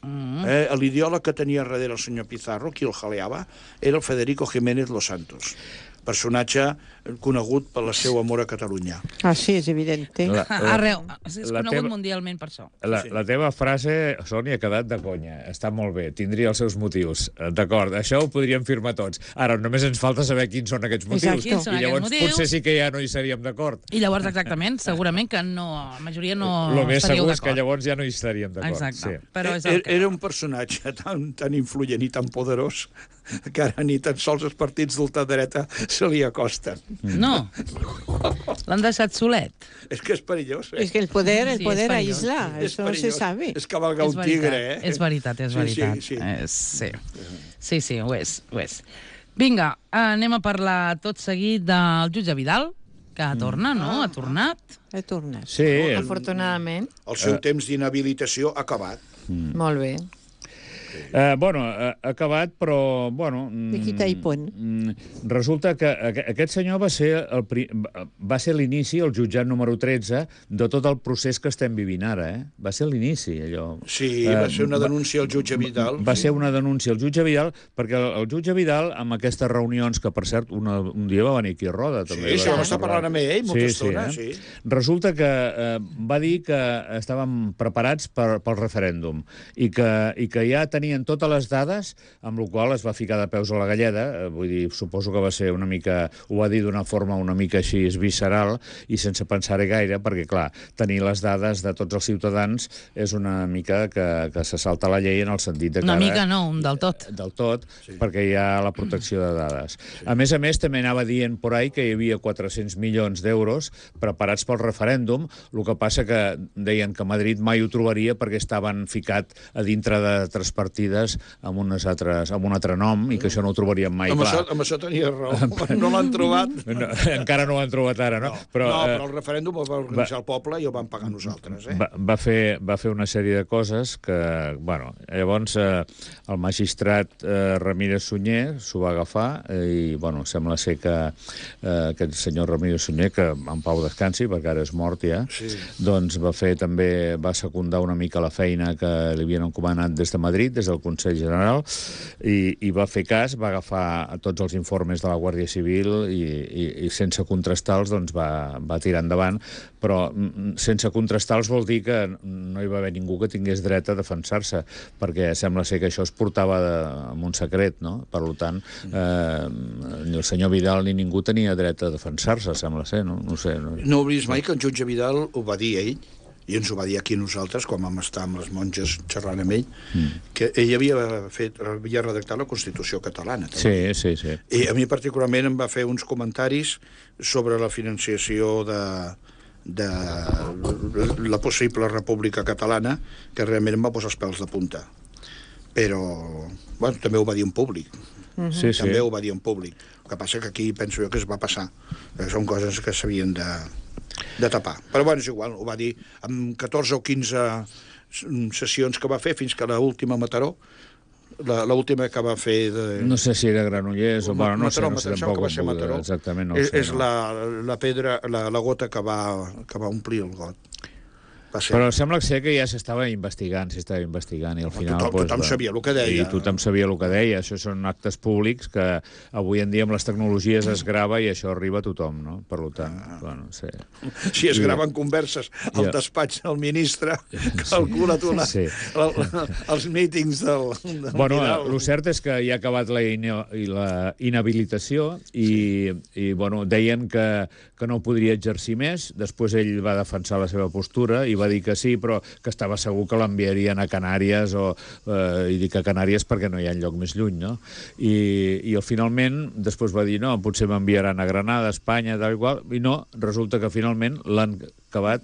L'ideòleg que tenia darrere el senyor Pizarro, qui el jaleava, era el Federico Jiménez Los Santos. personatge conegut per el seu amor a Catalunya. Ah, sí, és evident. Arreu. És la conegut teva- mundialment per això. La teva frase, Sònia, ha quedat de conya. Està molt bé, tindria els seus motius. D'acord, això ho podríem firmar tots. Ara, només ens falta saber quins són aquests motius. Exacte. Quins són I llavors aquests motius? potser sí que ja no hi seríem d'acord. I llavors, exactament, segurament que no, la majoria no Lo més estaríeu segur és que d'acord. llavors ja no hi estaríem d'acord. Exacte, Sí. però és el que... Era un personatge tan influent i tan poderós que ara ni tan sols els partits d'ultradreta se li acosten. No, l'han deixat solet. És que és perillós, Es que el poder Sí, és perillós. aísla, És eso se perillós. sabe. És cavalgar un tigre, És veritat, és Sí, veritat. sí. Sí, ho és, ho és. Vinga, anem a parlar tot seguit del jutge Vidal, que torna, no? Ha tornat. He tornat. Sí, Afortunadament. El seu temps d'inhabilitació ha acabat. Molt bé. bueno, ha acabat, però, bueno... De quita i pon. Resulta que aquest senyor va ser l'inici, el jutjat número 13, de tot el procés que estem vivint ara, eh? Va ser l'inici, allò. Sí, va ser una denúncia al jutge Vidal. Va ser una denúncia al jutge Vidal, perquè el jutge Vidal, amb aquestes reunions, que per cert, un dia va venir aquí a Roda, també. Sí, vam estar parlant amb ell molta estona, sí. Resulta que va dir que estàvem preparats pel referèndum i que ja tenien totes les dades, amb la qual es va ficar de peus a la galleda. Vull dir, suposo que va ser una mica... Ho va dir d'una forma una mica així visceral i sense pensar-hi gaire, perquè, clar, tenir les dades de tots els ciutadans és una mica que se salta la llei en el sentit de que... Una mica no, un del tot. Del tot, perquè hi ha la protecció de dades. A més, també anava dient por ahí que hi havia 400 milions d'euros preparats pel referèndum, el que passa que deien que Madrid mai ho trobaria perquè estaven ficat a dintre d'altres partides amb un altre nom i que això no ho trobarien mai. Amb això tenia raó. No l'han trobat. No, encara no ho han trobat ara, no? Però el referèndum el va organitzar el poble i el vam pagar nosaltres. Va fer una sèrie de coses que, bueno, llavors el magistrat Ramírez Sunyer s'ho va agafar i, bueno, sembla ser que aquest senyor Ramírez Sunyer, que en pau descansi, perquè ara és mort ja, doncs va secundar una mica la feina que li havien encomanat des de Madrid, des del Consell General, i va fer cas, va agafar tots els informes de la Guàrdia Civil i sense contrastar-los doncs va tirar endavant, però sense contrastar-los vol dir que no hi va haver ningú que tingués dret a defensar-se, perquè sembla ser que això es portava amb un secret, no? Per tant, ni el senyor Vidal ni ningú tenia dret a defensar-se, sembla ser, no? No sé. No oblidis mai que el jutge Vidal ho va dir ell, i ens ho va dir aquí nosaltres, quan vam estar amb les monges xerrant amb ell, que ell havia redactat la Constitució catalana. També. Sí. I a mi particularment em va fer uns comentaris sobre la financiació de la possible república catalana, que realment em va posar els pèls de punta. Però, bueno, també ho va dir en públic. També ho va dir en públic. El que passa que aquí penso jo que es va passar. Són coses que s'havien de tapar. Però bueno, és igual, ho va dir amb 14 o 15 sessions que va fer fins que l'última Mataró, l'última que va fer no sé si era Granollers o... Bueno, no sé tampoc va ser Mataró. Exactament, no ho sé. És la pedra, la gota que va omplir el got. Però sembla ser que ja s'estava investigant, i al final... Tothom sabia el que deia. I tothom sabia el que deia. Això són actes públics que avui en dia amb les tecnologies es grava i això arriba a tothom, no? Per tant, bueno, sí. Si es graven converses al despatx del ministre, calcula tu els mítings del Bueno, Vidal. el cert és que ja ha acabat la inhabilitació i bueno, deien que no podria exercir més. Després ell va defensar la seva postura i va dir que sí, però que estava segur que l'enviarien a Canàries i dic a Canàries perquè no hi ha lloc més lluny, no? I finalment després va dir no, potser m'enviaran a Granada, a Espanya, tal i qual, i no, resulta que finalment l'han acabat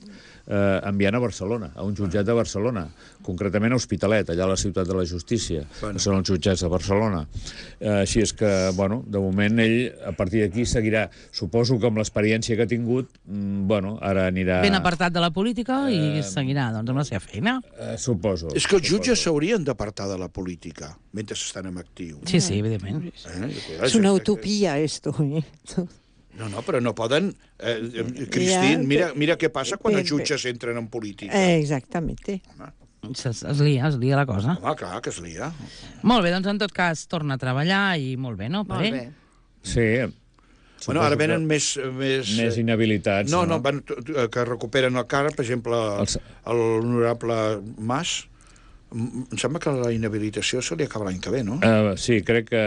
enviant a Barcelona, a un jutjat de Barcelona, concretament a Hospitalet, allà a la ciutat de la justícia, que són els jutjats de Barcelona. Així és que, bueno, de moment ell, a partir d'aquí, seguirà. Suposo que amb l'experiència que ha tingut, bueno, ara anirà... Ben apartat de la política i seguirà, doncs, amb la seva feina. Suposo. És que els jutges s'haurien d'apartar de la política mentre estan en actiu. Sí, evidentment. És una utopia, esto. No, però no poden... Cristín, mira què passa quan els jutges entren en política. Exactamente. Es lia la cosa. Home, clar, que es lia. Molt bé, doncs en tot cas torna a treballar i molt bé, no? Molt bé. Sí. Bueno, ara venen més... Més inhabilitats. No, que recuperen el càrrec, per exemple, l'honorable Mas. Em sembla que la inhabilitació se li acaba l'any que ve, no? Sí, crec que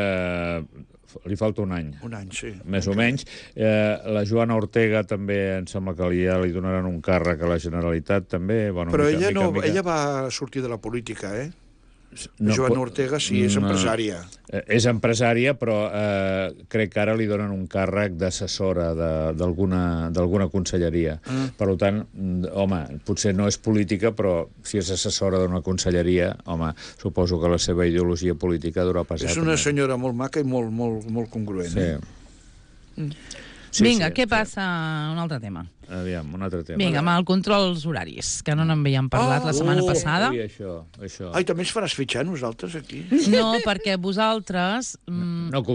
li falta un any. Un any, sí. Més o menys. La Joana Ortega també em sembla que ja li donaran un càrrec a la Generalitat, també. Bueno, però ella va sortir de la política, eh? Joana Ortega sí, és empresària. És empresària, però crec que ara li donen un càrrec d'assessora d'alguna conselleria. Per tant, home, potser no és política, però si és assessora d'una conselleria, home, suposo que la seva ideologia política durà passat. És una senyora molt maca i molt congruent. Sí. Vinga, què passa? Un altre tema. Aviam, un altre tema. Vinga, amb el control dels horaris, que no n'havíem parlat la setmana passada. Ui, això. Ai, també ens faràs fitxar nosaltres aquí? No, perquè vosaltres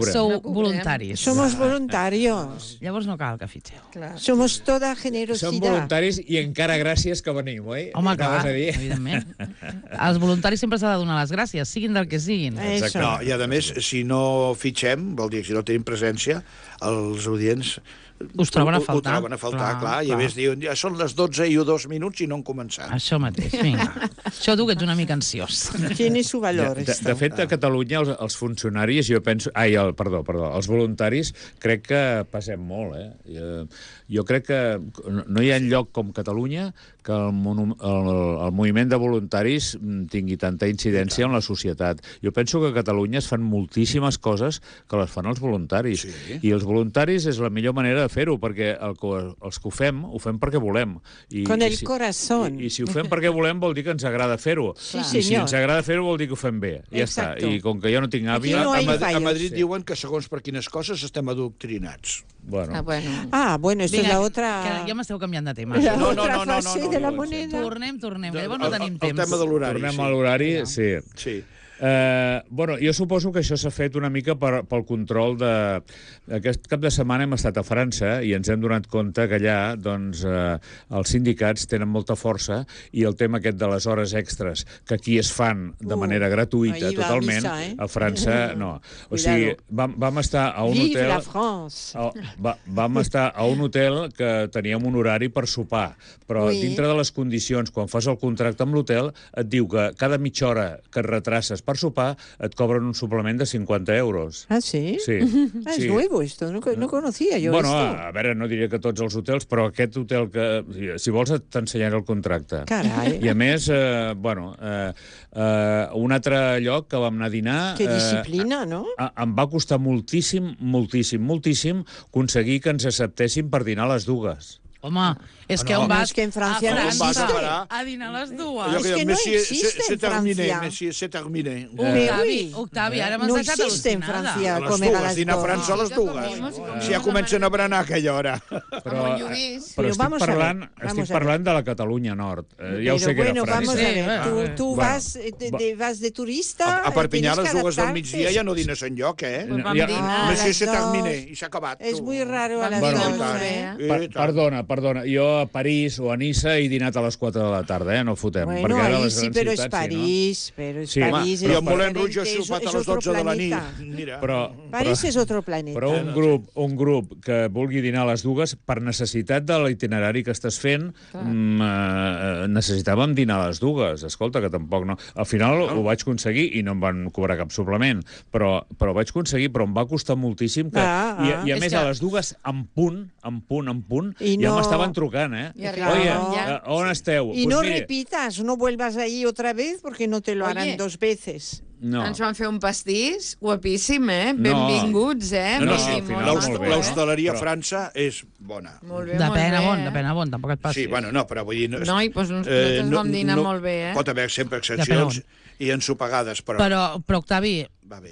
sou voluntaris. Somos voluntarios. Llavors no cal que fitxeu. Somos toda generosidad. Som voluntaris i encara gràcies que venim, oi? Home, clar, evidentment. Als voluntaris sempre s'ha de donar les gràcies, siguin del que siguin. No, i a més, si no fitxem, vol dir que si no tenim presència, els audients us troben a faltar. Ho troben a faltar, clar. I a més diuen, ja són les 12 i 2 minuts i no han començat. Això mateix, vinga. Això tu que ets una mica ansiós. Tiene su valor. De fet, a Catalunya els funcionaris, jo penso... Perdó, els voluntaris, crec que passem molt, eh? Jo crec que no hi ha lloc com Catalunya que el moviment de voluntaris tingui tanta incidència en la societat. Jo penso que a Catalunya es fan moltíssimes coses que les fan els voluntaris. Sí. I els voluntaris és la millor manera de fer-ho, perquè els que ho fem perquè volem. Con el corazón. I si ho fem perquè volem vol dir que ens agrada fer-ho. Sí, I si ens agrada fer-ho vol dir que ho fem bé. Ja està. I com que jo no tinc àvia... A Madrid diuen que segons per quines coses estem adoctrinats. Bueno, esto es la otra... Que ja m'esteu canviant de tema. La otra fase de la moneda. Tornem, que llavors no tenim temps. El tema de l'horari. Tornem a l'horari, sí. Jo suposo que això s'ha fet una mica pel control de... Aquest cap de setmana hem estat a França i ens hem donat compte que allà doncs, els sindicats tenen molta força i el tema aquest de les hores extres, que aquí es fan de manera gratuïta totalment, a França no. O sigui, vam estar a un Vive hotel... la France! Vam estar a un hotel que teníem un horari per sopar, però dintre de les condicions, quan fas el contracte amb l'hotel, et diu que cada mitja hora que et retraces per sopar, et cobren un suplement de 50 euros. ¿Ah, sí? Sí. Es nuevo esto, no conocía yo bueno, esto. A veure, no diria que tots els hotels, però aquest hotel que... Si vols t'ensenyaré el contracte. Carai. I a més, un altre lloc que vam anar a dinar... Que disciplina, no? Em va costar moltíssim aconseguir que ens acceptessin per dinar a les dues. Home, és que on vas? És que en Francia no existe. A dinar a les dues. Es que no existe en Francia. Se termine. Octavi, ara m'has no deixat existe en al·lucinada. Francia A les comer a dues, las dinar a dos. França a les dues. Si ja comencen a berenar a aquella hora. Però estic parlant de la Catalunya Nord. Ja ho sé que era Vamos França. a ver, tú vas de turista... A Perpinyà a les dues del migdia ja no dines enlloc, eh? Monsieur se termine, i s'ha acabat. És muy raro a las Perdona, jo a París o a Niça he dinat a les 4 de la tarda, no fotem. Bueno, ahí sí, però és París. Però és París. I en Moulin Rouge he sopat a les 12 de la nit. Mira. París és otro planeta. Però un grup que vulgui dinar a les dues, per necessitat de l'itinerari que estàs fent, necessitàvem dinar a les dues. Escolta, que tampoc no... Al final ho vaig aconseguir i no em van cobrar cap suplement, però vaig aconseguir, però em va costar moltíssim que... I a més, a les dues, en punt, ja m'estaven trucant, eh? Oye, on esteu? Y no repitas, no vuelvas ahí otra vez porque no te lo harán dos veces. No. Ens van fer un pastís guapíssim, eh? Benvinguts, eh? L'hostaleria a França és bona. Molt bé, depèn on, tampoc et passis. Sí, bueno, no, però vull dir... Noi, doncs nosaltres vam dinar molt bé, eh? Pot haver sempre excepcions i ensopegades, però... Però, Octavi,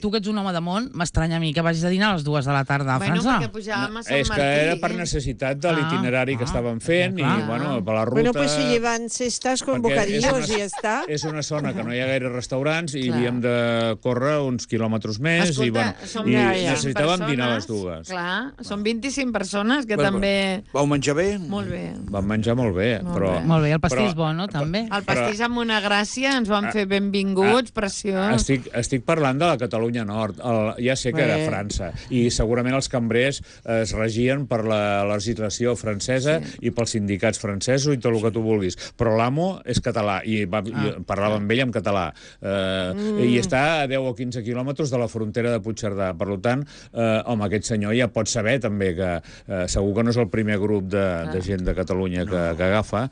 tu que ets un home de món, m'estranya a mi que vagis a dinar a les 2 de la tarda a França. Bueno, perquè pujàvem a Sant Martí. És que era per necessitat de l'itinerari que estàvem fent i, bueno, per la ruta... Bueno, pues se llevan cestas con bocadillos i ja està. És una zona que no hi ha gaire restaurants i havíem de córrer uns quilòmetres més i necessitàvem dinar a les dues. Clar, són 25 persones que també... Vau menjar bé? Molt bé. Vam menjar molt bé, però... Molt bé, el pastís bo, no? També. El pastís amb una gràcia, ens van fer benvinguts, preciós. Estic parlant de la Catalunya Nord. Ja sé que era França. I segurament els cambrers es regien per la legislació francesa i pels sindicats francesos i tot el que tu vulguis. Però l'amo és català i parlava amb ell en català. I està a 10 o 15 quilòmetres de la frontera de Puigcerdà. Per tant, home, aquest senyor ja pot saber també que segur que no és el primer grup de gent de Catalunya que agafa,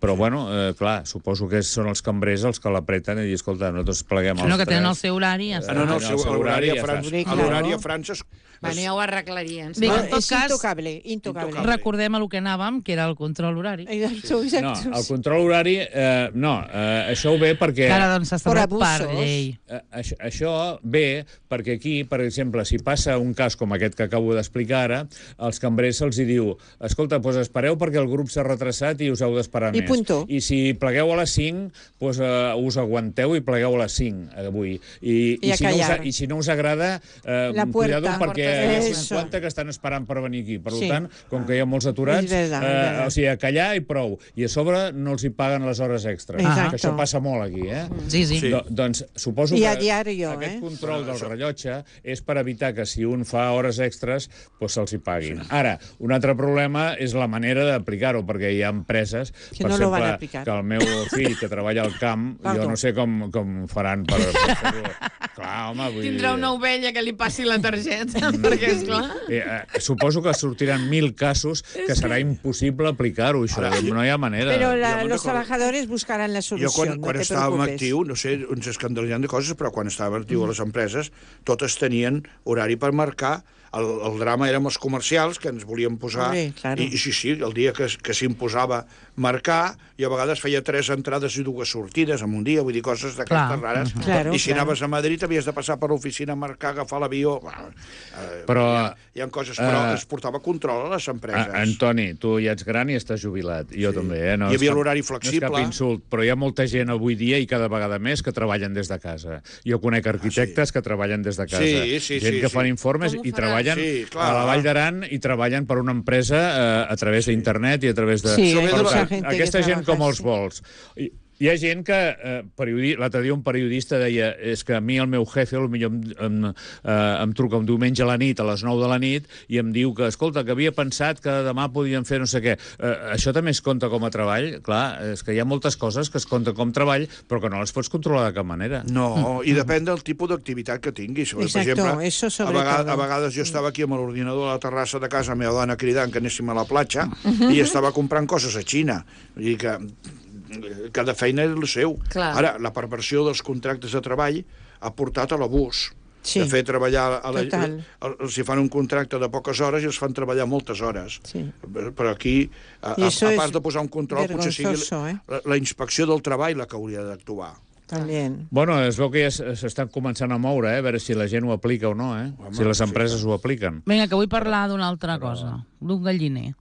però, bueno, clar, suposo que són els cambrers els que l'apreten i dir, escolta, nosaltres pleguem els 3. No, que tenen el seu horari. L'horari a França... Bueno, ja ho arreglarien. Bé, en tot cas, intocable. recordem el que anàvem, que era el control horari. No, el control horari, això ve perquè... Que ara doncs s'ha establert per llei. Això ve perquè aquí, per exemple, si passa un cas com aquest que acabo d'explicar ara, els cambrers se'ls diu, escolta, doncs espereu perquè el grup s'ha retrasat i us heu d'esperar més. I si plegueu a les 5, doncs us aguanteu i plegueu a les 5 avui. I si no us agrada, cuidado perquè hi ha 50 que estan esperant per venir aquí. Per tant, com que hi ha molts aturats, o sigui, a callar i prou. I a sobre no els hi paguen les hores extres. Que això passa molt aquí, eh? Sí. Doncs suposo que aquest control del rellotge és per evitar que si un fa hores extres, doncs se'ls hi paguin. Ara, un altre problema és la manera d'aplicar-ho, perquè hi ha empreses, per exemple, que el meu fill que treballa al camp, jo no sé com faran per fer-ho. Clar, home, vull dir... Tindrà una ovella que li passi la targeta, perquè, esclar... Suposo que sortiran 1000 casos que serà impossible aplicar-ho, això. No hi ha manera. Però los trabajadors buscaran la solució. Jo, quan estàvem actiu, no sé, ens escandalitzem de coses, però quan estàvem actiu a les empreses, totes tenien horari per marcar. El drama érem els comercials, que ens volien posar... I sí, el dia que s'imposava marcar, i a vegades feia 3 entrades i 2 sortides en un dia, vull dir, coses d'aquestes rares. I si anaves a Madrid havies de passar per l'oficina a marcar, agafar l'avió... Però... Hi ha coses, però es portava control a les empreses. Antoni, tu ja ets gran i estàs jubilat. Jo també, Hi havia l'horari flexible. No és cap insult, però hi ha molta gent avui dia i cada vegada més que treballen des de casa. Jo conec arquitectes que treballen des de casa. Gent que fan informes i treballen a la Vall d'Aran i treballen per una empresa a través d'internet i a través de... Aquesta gent com els vols. Hi ha gent que, l'altre dia un periodista deia, és que a mi el meu jefe potser em truca un diumenge a la nit, a les 9 de la nit, i em diu que, escolta, que havia pensat que demà podien fer no sé què. Això també es compta com a treball? Clar, és que hi ha moltes coses que es compten com treball, però que no les pots controlar de cap manera. No, i depèn del tipus d'activitat que tinguis. Per exemple, a vegades jo estava aquí amb l'ordinador a la terrassa de casa, la meva dona cridant que anéssim a la platja, i estava comprant coses a Xina. Vull dir que cada feina és el seu. Ara, la perversió dels contractes de treball ha portat a l'abús. De fer treballar... Si fan un contracte de poques hores i els fan treballar moltes hores. Però aquí, a part de posar un control, potser sigui la inspecció del treball la que hauria d'actuar. Bueno, es veu que ja s'estan començant a moure, a veure si la gent ho aplica o no, si les empreses ho apliquen. Vinga, que vull parlar d'una altra cosa, d'un galliner.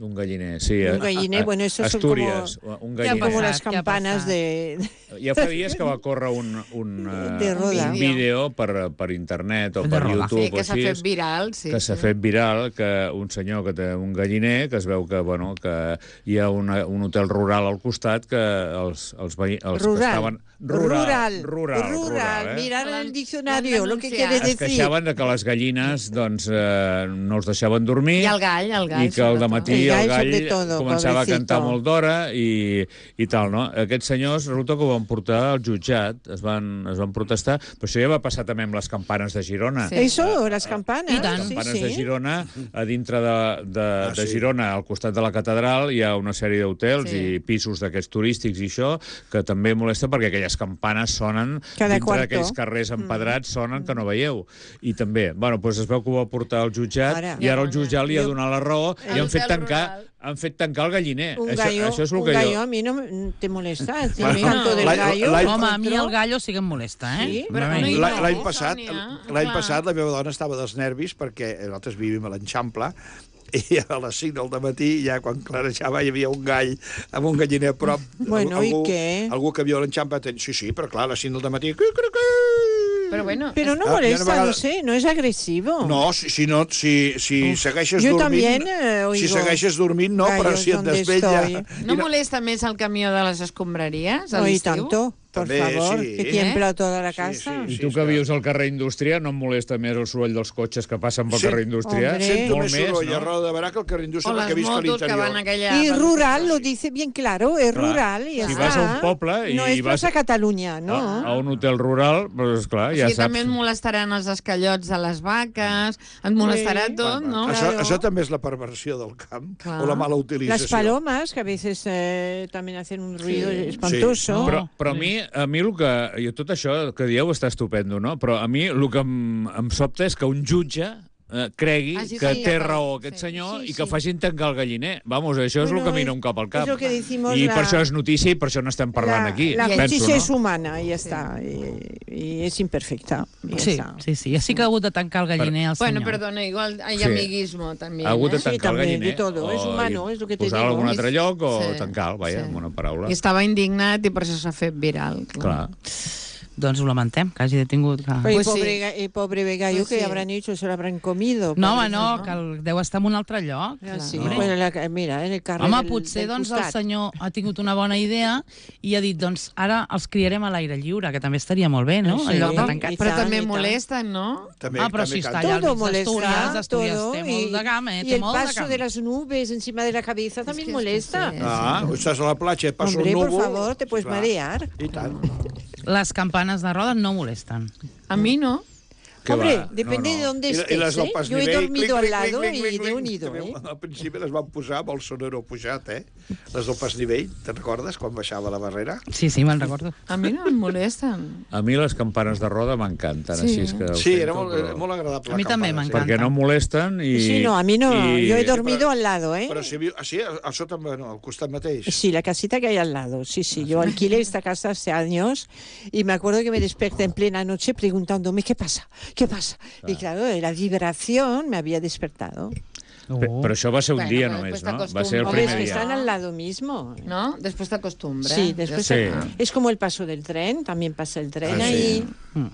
Un galliner, sí. Un galliner, bueno, eso Asturias, son como las campanas de... Ja fa dies que va córrer un vídeo per internet o per YouTube. Sí, que s'ha fet viral, sí. Que s'ha fet viral, que un senyor que té un galliner, que es veu que, bueno, que hi ha un hotel rural al costat que els que estaven... Rural. Mirar en el diccionario, lo que quiere decir. Es queixaven de que les gallines, doncs, no els deixaven dormir. I el gall. I que al dematí el gall començava a cantar molt d'hora i tal, no? Aquests senyors, resulta que ho van portar al jutjat, es van protestar, però això ja va passar també amb les campanes de Girona. Eso, les campanes. Les campanes de Girona, a dintre de Girona, al costat de la catedral, hi ha una sèrie d'hotels i pisos d'aquests turístics i això, que també molesta perquè aquelles campanes sonen dintre d'aquells carrers empedrats, sonen que no veieu. I també, bueno, doncs es veu que ho va portar al jutjat i ara el jutjat li ha donat la raó i han fet tancar el galliner. Això és el que gallo a mi no te molesta. Canto del gallo. Home, a mi el gallo sí que em molesta, eh? L'any passat la meva dona estava dels nervis perquè nosaltres vivim a l'Eixample i a les 5 del dematí, ja quan clarejava, hi havia un gall amb un galliner a prop. Bueno, i què? Algú que viu a l'Eixample... Sí, però clar, a les 5 del dematí... Pero no molesta, no sé, no es agresivo. No, si segueixes dormint... Si segueixes dormint, no, però si et desvella... No molesta més el camió de les escombraries a l'estiu? I tanto. por També, favor, sí. que tiembla toda la casa. I tu que vius al carrer Indústria, no em molesta més el soroll dels cotxes que passen pel Sí. carrer Indústria? Hombre. Sento Molt més soroll a no? Roda de Barà que el carrer Indústria O perquè les visc a motos que van l'interior. aquella... Y rural, lo dice bien claro, es Clar. rural y ya Si está. vas a un poble no i es vas Plaza Catalunya, no. a un hotel rural, doncs clar, ja Sí, saps. també et molestaran els escallots de les vaques, et molestarà Sí. tot, no? Claro. Això també és la perversió del camp, Clar. o la mala utilització. Las palomas, que a veces también hacen un ruido espantoso. Sí. Però a mi el que... Tot això que dieu està estupendo, no? Però a mi el que em sobta és que un jutge cregui Ah, sí, que sí, té ja, raó aquest sí. senyor Sí, i que sí. facin tancar el galliner. Vamos, això és el Bueno, que mira un cap al cap. es lo que decimos I la- per això és notícia i per això n'estem parlant aquí. La penso, justicia no? es humana y ya está. Y es imperfecta. Y ya Sí, está. sí, sí. Ja sí que ha hagut de tancar el galliner al Bueno, senyor. perdona, igual hay Sí. amiguismo también. Ha hagut de ¿eh? Sí, tancar el també, galliner. de todo. És humano, és el que te posar-lo en digo. algun altre lloc o Sí, tancar-lo, vaja, sí. amb una paraula. I estava indignat i per això s'ha fet viral. Clar. Doncs ho lamentem, que hagi detingut... Que... Pero Pues sí. el pobre gallo Pues que sí. habrán hecho, se lo habrán comido. No, pobre. home, no, que deu estar en un altre lloc. Ah, sí, Hombre. pues mira, en el carrer Home, del, potser del doncs, el costat. senyor ha tingut una bona idea i ha dit, doncs, ara els criarem a l'aire lliure, que també estaria molt bé, no? Sí, En lloc de i tancar. Però tant, també i tant. molesten, no? També, Però també si està canta. allà al Todo mig d'Astúries, molesta, d'Astúries todo. té molt de gama, y té el molt de paso gama. de las nubes encima de la cabeza también que molesta. sí. Ah, estàs a la platja, passa Hombre, un por núvol... favor, te puedes Clar. marear. I tant. Les campanes de roda no molesten. A mi no. Que Hombre, va, depende no, no. de dónde I estés, les del ¿eh? pas Yo he nivell, dormido clic, al clic, lado clic, y clic, de clic. unido, També, ¿eh? al principi les van posar amb el sonero pujat, Les del pas nivell, te'n recordes, quan baixava la barrera? Sí, sí, me'n recordo. A mi no em molesten. A mi les campanes de roda m'encanten, Sí. així és que... ho Sí, sento, era però- molt agradable. A mi la també campana, m'encanta. Perquè no molesten i... Sí, no, a mí no. i- Yo he dormido pero- al lado, ¿eh? Però si viu... Ah, sí, a sota, bueno, al costat mateix. Sí, la casita que hay al lado. Sí, sí. Yo alquilé esta casa hace años y me acuerdo que me desperté en plena noche preguntándome ¿qué pasa? ¿Qué pasa? Y claro, la vibración me había despertado. Però això va ser un Bueno, dia però només, després no? Va ser el Hombre, es primer que dia. están al lado mismo. No? Després t'acostumbres. Sí, después Sí. es como el paso del tren, también pasa el tren Ah, ahí. Mm.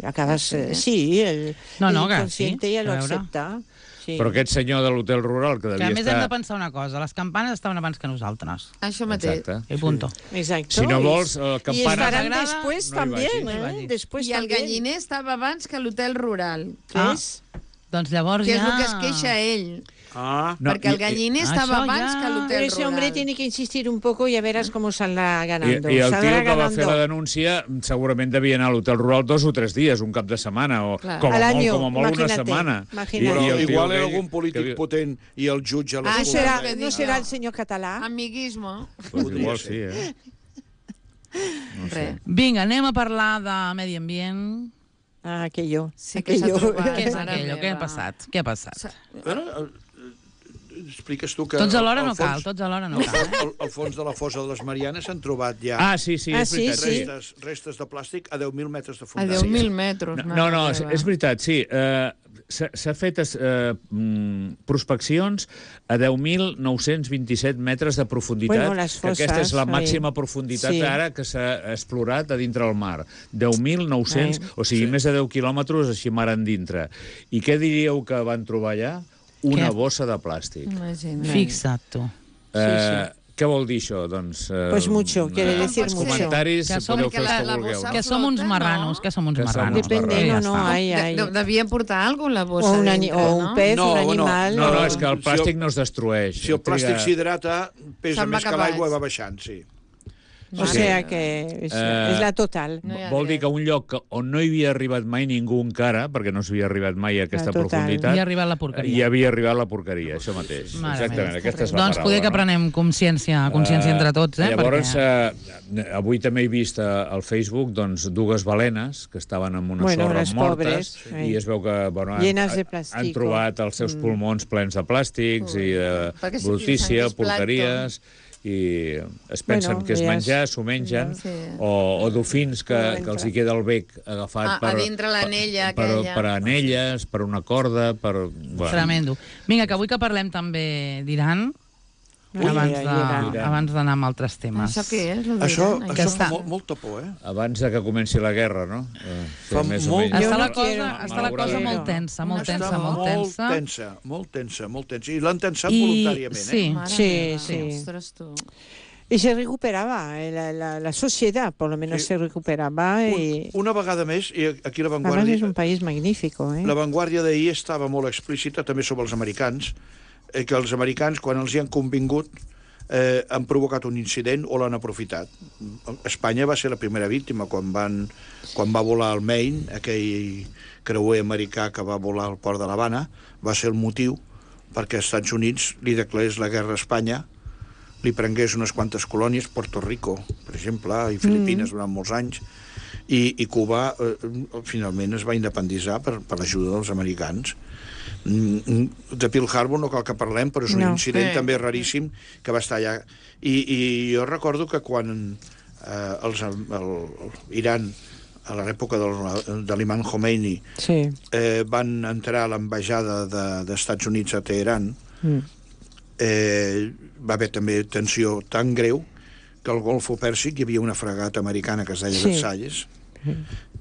Acabas, sí, el No, el que inconsciente sí, ya lo a veure. acepta. Sí. Però aquest senyor de l'hotel rural que Que devia a més hem de estar... pensar una cosa, les campanes estaven abans que nosaltres. Això mateix. Exacte. I punto. Exacto. Si no vols, y campanes... estarán Agrada, después no hi también, vagis. No hi ¿eh? vagis. Después I el también. galliner estava abans que l'hotel rural, ¿Ves? Doncs llavors que és ja... el que es queixa ell. Ah, No, perquè el galliner això estava abans ja- que Pero l'hotel ese hombre rural. tiene que insistir un poco y ya verás cómo saldrá ganando. I el Saldrá tio que va ganando. fer la denúncia segurament devia anar a l'hotel rural 2 o 3 dies, un cap de setmana, o Clar. com a Al molt, año, com a molt una imagínate, setmana. imagínate. però el tio igual era aquell algun polític que- potent i el jutge Ah, ¿No això l'escolta. és el que no dic será jo. el señor catalá? Amiguismo. Pues Podria igual ser. sí, eh? No sé. Res. Vinga, anem a parlar de medi ambient. Ah, aquello. Sí que s'ha trobat. Què és Mare aquello? Què ha meva. passat? Què ha passat? Bueno, expliques tu que... Tots alhora al no cal, fons- tots alhora no cal. Al fons de la fossa de les Marianes s'han trobat ja Ah, sí, sí, Ah, és sí, veritat. sí. restes de plàstic a 10.000 metres de A fondàcia. 10.000 metres. No, no, és veritat, sí. S'ha fet prospeccions a 10.927 metres de profunditat, Bueno, les que aquesta és la fosses, màxima oi. profunditat Sí. ara que s'ha explorat a dintre del mar. 10.900, Ai. o sigui, més de 10 quilòmetres així mar endintre. I què diríeu que van trobar allà? Una Què? bossa de plàstic. Imagina't. Fixa't, tu. Què vol dir això? Doncs, Pues mucho, quiere decir els mucho. comentaris Que som- podeu fer els perquè que la vulgueu. bossa- Que som uns flota, marranos, no? que som uns Que som marranos. uns Depende, marranos. no, Ja no, està. hay. Devien portar alguna la bossa O un, dintre, o un no? pez, No, un bueno, animal. No, no, No, és que el si plàstic el- no es destrueix. Si el plàstic Triga- s'hidrata, pesa Se'n va més que cap l'aigua baix. va baixant, sí. O sea que es la total. No hi ha Vol dir res. que un lloc on no hi havia arribat mai ningú encara, perquè no s'havia arribat mai a aquesta Total. profunditat, I ha arribat la porqueria. hi havia arribat la porqueria, això mateix. Mare Exactament, meva. aquesta és la Doncs paraula. poder que prenem consciència entre tots, eh? Llavors, Perquè... avui també he vist al Facebook doncs, dues balenes que estaven en una Bueno, sorra les mortes pobres, sí. i es veu que bueno, Llenes de han plástico. trobat els seus pulmons plens de plàstics i de Perquè sí, brutícia, és porqueries, i es pensen Bueno, que és ja menjar, s'ho mengen, Sí. o dofins que els hi queda el bec agafat A dintre l'anella per aquella. anelles, per una corda, per... Bueno, Tremendo. Vinga, que avui que parlem també d'Iran, Ui, abans d'anar amb altres temes. Això què és? Això Que està- fa molta por, eh? abans de que comenci la guerra, no? Fa més o molt- menys. Jo Està no la cosa, quiero. està la cosa molt tensa, molt Està tensa, molt tensa. molt tensa. I l'han tensat I- voluntàriament, sí. eh? Mare Sí, meva, sí. Ostres, tu. Y se recuperaba, la sociedad por lo menos se recuperaba. Una vegada més, i aquí la Además Vanguardia... es un país magnífico. La Vanguardia d'ahir estava molt explícita també sobre els americans, que els americans, quan els hi han convingut, han provocat un incident o l'han aprofitat. Espanya va ser la primera víctima quan va volar el Maine, aquell creuer americà que va volar al port de l'Havana, va ser el motiu perquè als Estats Units li declarés la guerra a Espanya, li prengués unes quantes colònies, Puerto Rico, per exemple, i Filipines durant molts anys, i Cuba finalment es va independitzar per l'ajuda dels americans. De Pearl Harbor no cal que parlem, però és un incident també raríssim que va estar allà. I jo recordo que quan Iran, a l'època de l'imam Khomeini, van entrar a l'ambaixada dels Estats Units a Teheran, va haver també tensió tan greu que al Golfo Pèrsic hi havia una fragata americana que es deia Versalles,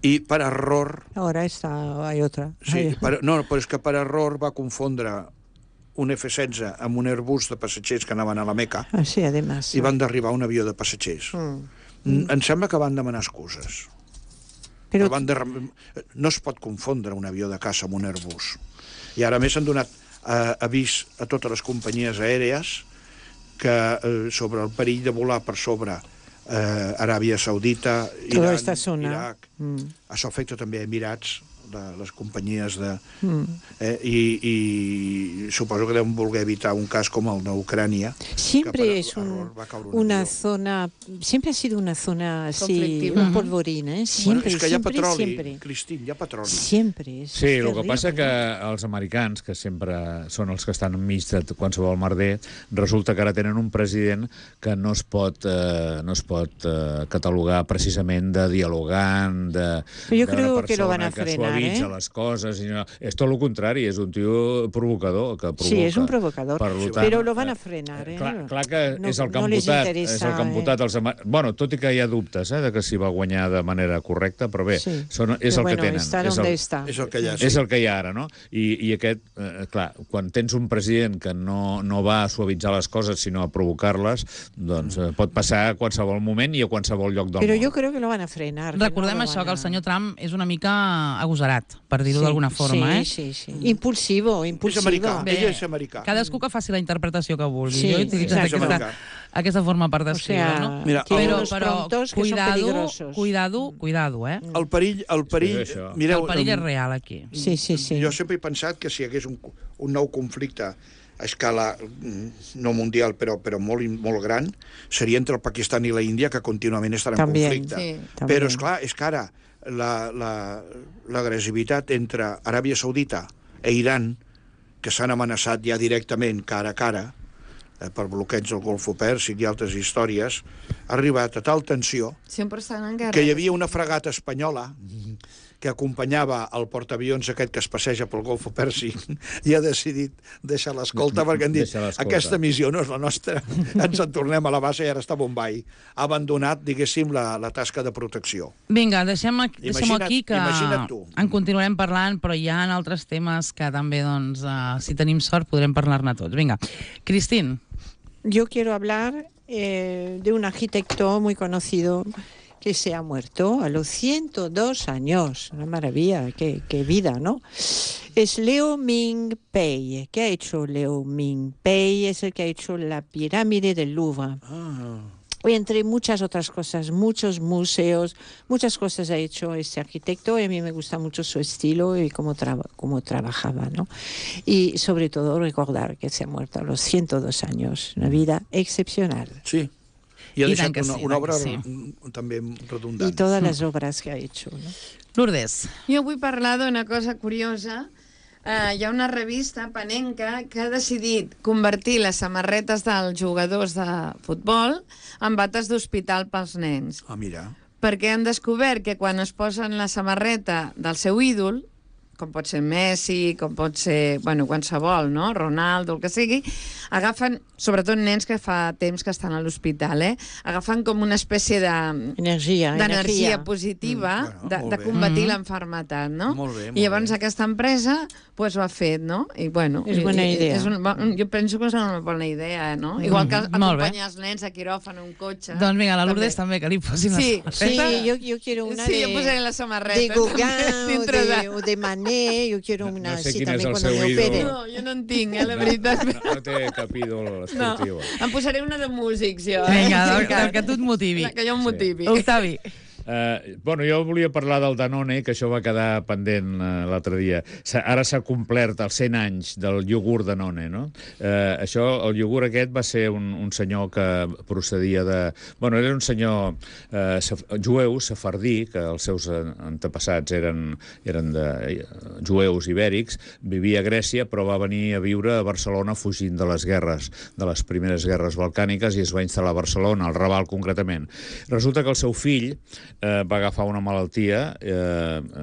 i per error... Ahora hay otra. Sí, no, però és que per error va confondre un F-16 amb un Airbus de passatgers que anaven a la Meca, sí, además, i van derribar un avió de passatgers. Em sembla que van demanar excuses. Però no es pot confondre un avió de caça amb un Airbus. I ara més han donat avís a totes les companyies aèries que sobre el perill de volar per sobre Aràbia Saudita, Iran, Iraq, això afecta també a Emirats, les companyies de... I suposo que deuen voler evitar un cas com el d'Ucrània. Siempre es una zona, siempre ha sido una zona así, un polvorín, ¿eh? Siempre, és que hi ha petroli, Cristín, hi ha petroli. Siempre. Sí, el que passa que els americans, que sempre són els que estan enmig de qualsevol merder, resulta que ara tenen un president que no es pot catalogar precisament de dialogant, yo creo que lo van a frenar, suavitza les coses. És tot el contrari, és un tio provocador. Que provoca. Sí, és un provocador, però lo van a frenar. Clar que és el que han votat. És el que han votat els... Bueno, tot i que hi ha dubtes de que s'hi va guanyar de manera correcta, però bé, és el que tenen. És el que hi ha ara, no? I aquest, clar, quan tens un president que no va a suavitzar les coses, sinó a provocar-les, doncs pot passar a qualsevol moment i a qualsevol lloc del món. Però jo crec que lo van a frenar. Recordem això, que el senyor Trump és una mica agosarat, per dir-ho d'alguna forma. Sí. Impulsivo. És americà, ell és americà. Cadascú que faci la interpretació que vulgui. Sí, Jo he utilitzat aquesta forma per descriure, no? Mira, però cuidado, eh? El perill... Mireu, el perill és real, aquí. Sí. Jo sempre he pensat que si hi hagués un nou conflicte a escala no mundial, però molt gran, seria entre el Pakistan i la Índia, que contínuament estan en conflicte. Però, esclar, és que ara l'agressivitat entre Aràbia Saudita i Iran, que s'han amenaçat ja directament cara a cara per bloqueig del Golfo Pèrsic i altres històries, ha arribat a tal tensió que hi havia una fragata espanyola que acompanyava el portaavions aquest que es passeja pel Golfo Pèrsic i ha decidit deixar l'escolta perquè han dit aquesta missió no és la nostra, ens en tornem a la base i ara està a Bombay. Ha abandonat, diguéssim, la tasca de protecció. Vinga, deixem-ho aquí, que en continuarem parlant, però hi ha altres temes que també, doncs, si tenim sort, podrem parlar-ne tots. Vinga, Cristín. Yo quiero hablar de un arquitecto muy conocido que se ha muerto a los 102 años. Una maravilla, qué vida, ¿no? Es Liu Ming-pei. ¿Qué ha hecho Liu Ming-pei? Es el que ha hecho la pirámide del Louvre. Y entre muchas otras cosas, muchos museos, muchas cosas ha hecho este arquitecto, y a mí me gusta mucho su estilo y cómo trabajaba, ¿no? Y sobre todo recordar que se ha muerto a los 102 años. Una vida excepcional. Sí. I ha deixat una obra també redundant. I totes les obres que ha hecho, no? Lourdes. Jo vull parlar d'una cosa curiosa. Hi ha una revista panenca que ha decidit convertir les samarretes dels jugadors de futbol en bates d'hospital pels nens. Ah, mira. Perquè han descobert que quan es posen la samarreta del seu ídol, com pot ser Messi, com pot ser, bueno, qualsevol, no? Ronaldo, el que sigui, agafen, sobretot nens que fa temps que estan a l'hospital, agafen com una espècie d'energia positiva de combatir l'enfermetat, no? Molt bé, I llavors aquesta empresa ho ha fet, no? I bueno, és bona idea. Jo penso que és una bona idea, no? Igual que acompanyar els nens a quiròfan un cotxe. Doncs vinga, la Lourdes també, que li posin la samarreta. Sí, yo quiero una jo posaré la samarreta. de Gauguin o de Manet, yo quiero una así también cuando me opere. No, jo no en tinc, la veritat. No té cap ídol esportiu. Em posaré una de músics, jo. Vinga, el que tu et motivi. Que jo em motivi. Octavi. Bueno, jo volia parlar del Danone, que això va quedar pendent l'altre dia. Ara s'ha complert els 100 anys del iogurt Danone, no? El iogurt aquest va ser un senyor que procedia de... Bueno, era un senyor jueu, sefardí, que els seus antepassats eren de jueus ibèrics, vivia a Grècia, però va venir a viure a Barcelona fugint de les guerres, de les primeres guerres balcàniques, i es va instal·lar a Barcelona, al Raval concretament. Resulta que el seu fill va agafar una malaltia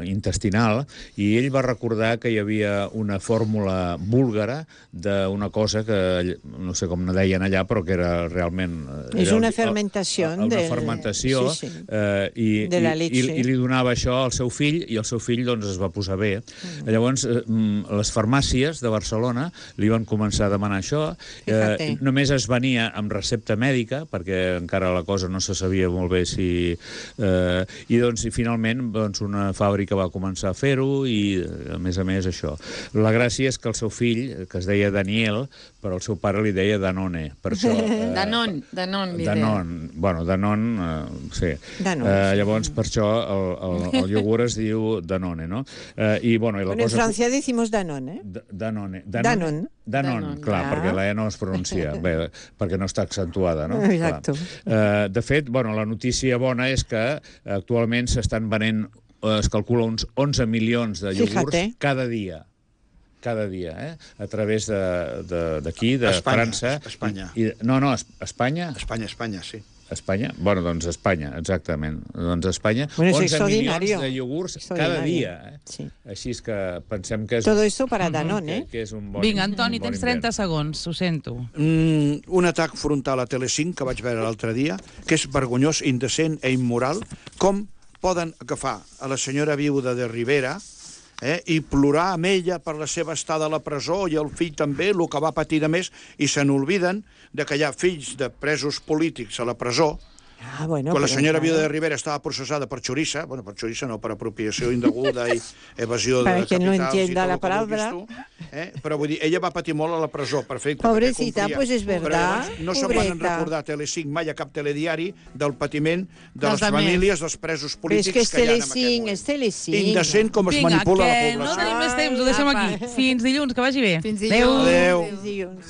intestinal i ell va recordar que hi havia una fórmula búlgara d'una cosa que no sé com ne deien allà, però que era realment... És una fermentació. Una fermentació de la leche. I li donava això al seu fill i el seu fill doncs es va posar bé. Llavors les farmàcies de Barcelona li van començar a demanar això. Només es venia amb recepta mèdica perquè encara la cosa no se sabia molt bé si... I finalment una fàbrica va començar a fer-ho i a més això. La gràcia és que el seu fill, que es deia Daniel, però el seu pare li deia Danone. Per això, Danon li deia. Bueno, Danon, sí. Llavors per això el iogurt es diu Danone, no? I en Francia decimos Danone. Danone, Danon, clar, perquè la E no es pronuncia, bé, perquè no està accentuada, no? Exacte. De fet, la notícia bona és que actualment s'estan venent, es calcula uns 11 milions de iogurts cada dia, a través d'aquí, de França. Espanya. No, Espanya? Espanya, sí. Espanya? Bueno, doncs Espanya, exactament. Doncs Espanya, 11 milions de iogurts cada dia. Sí. Així és que pensem que és... Todo esto para Danone, que és un bon... Vinga, Antoni, tens 30 segons, ho sento. Un atac frontal a Telecinc que vaig veure l'altre dia, que és vergonyós, indecent i immoral, com poden agafar a la senyora viuda de Rivera i plorar amb ella per la seva estada a la presó i el fill també, el que va patir de més, i se n'olviden de que hi ha fills de presos polítics a la presó. Quan la senyora viuda de Rivera estaba procesada por choriza, por choriza no, por apropiació indeguda i evasió de capitals... Para quien no entienda la palabra... Però vull dir, ella va patir molt a la presó per fer... Pobrecita, pues és verdad. No se'n van recordar a Telecinc mai a cap telediari del patiment de les famílies dels presos polítics que hi ha en aquest moment. És Telecinc. Indecent com es manipula la població. Vinga, que no tenim més temps, ho deixem aquí. Fins dilluns, que vagi bé. Fins dilluns. Adéu. Fins dilluns.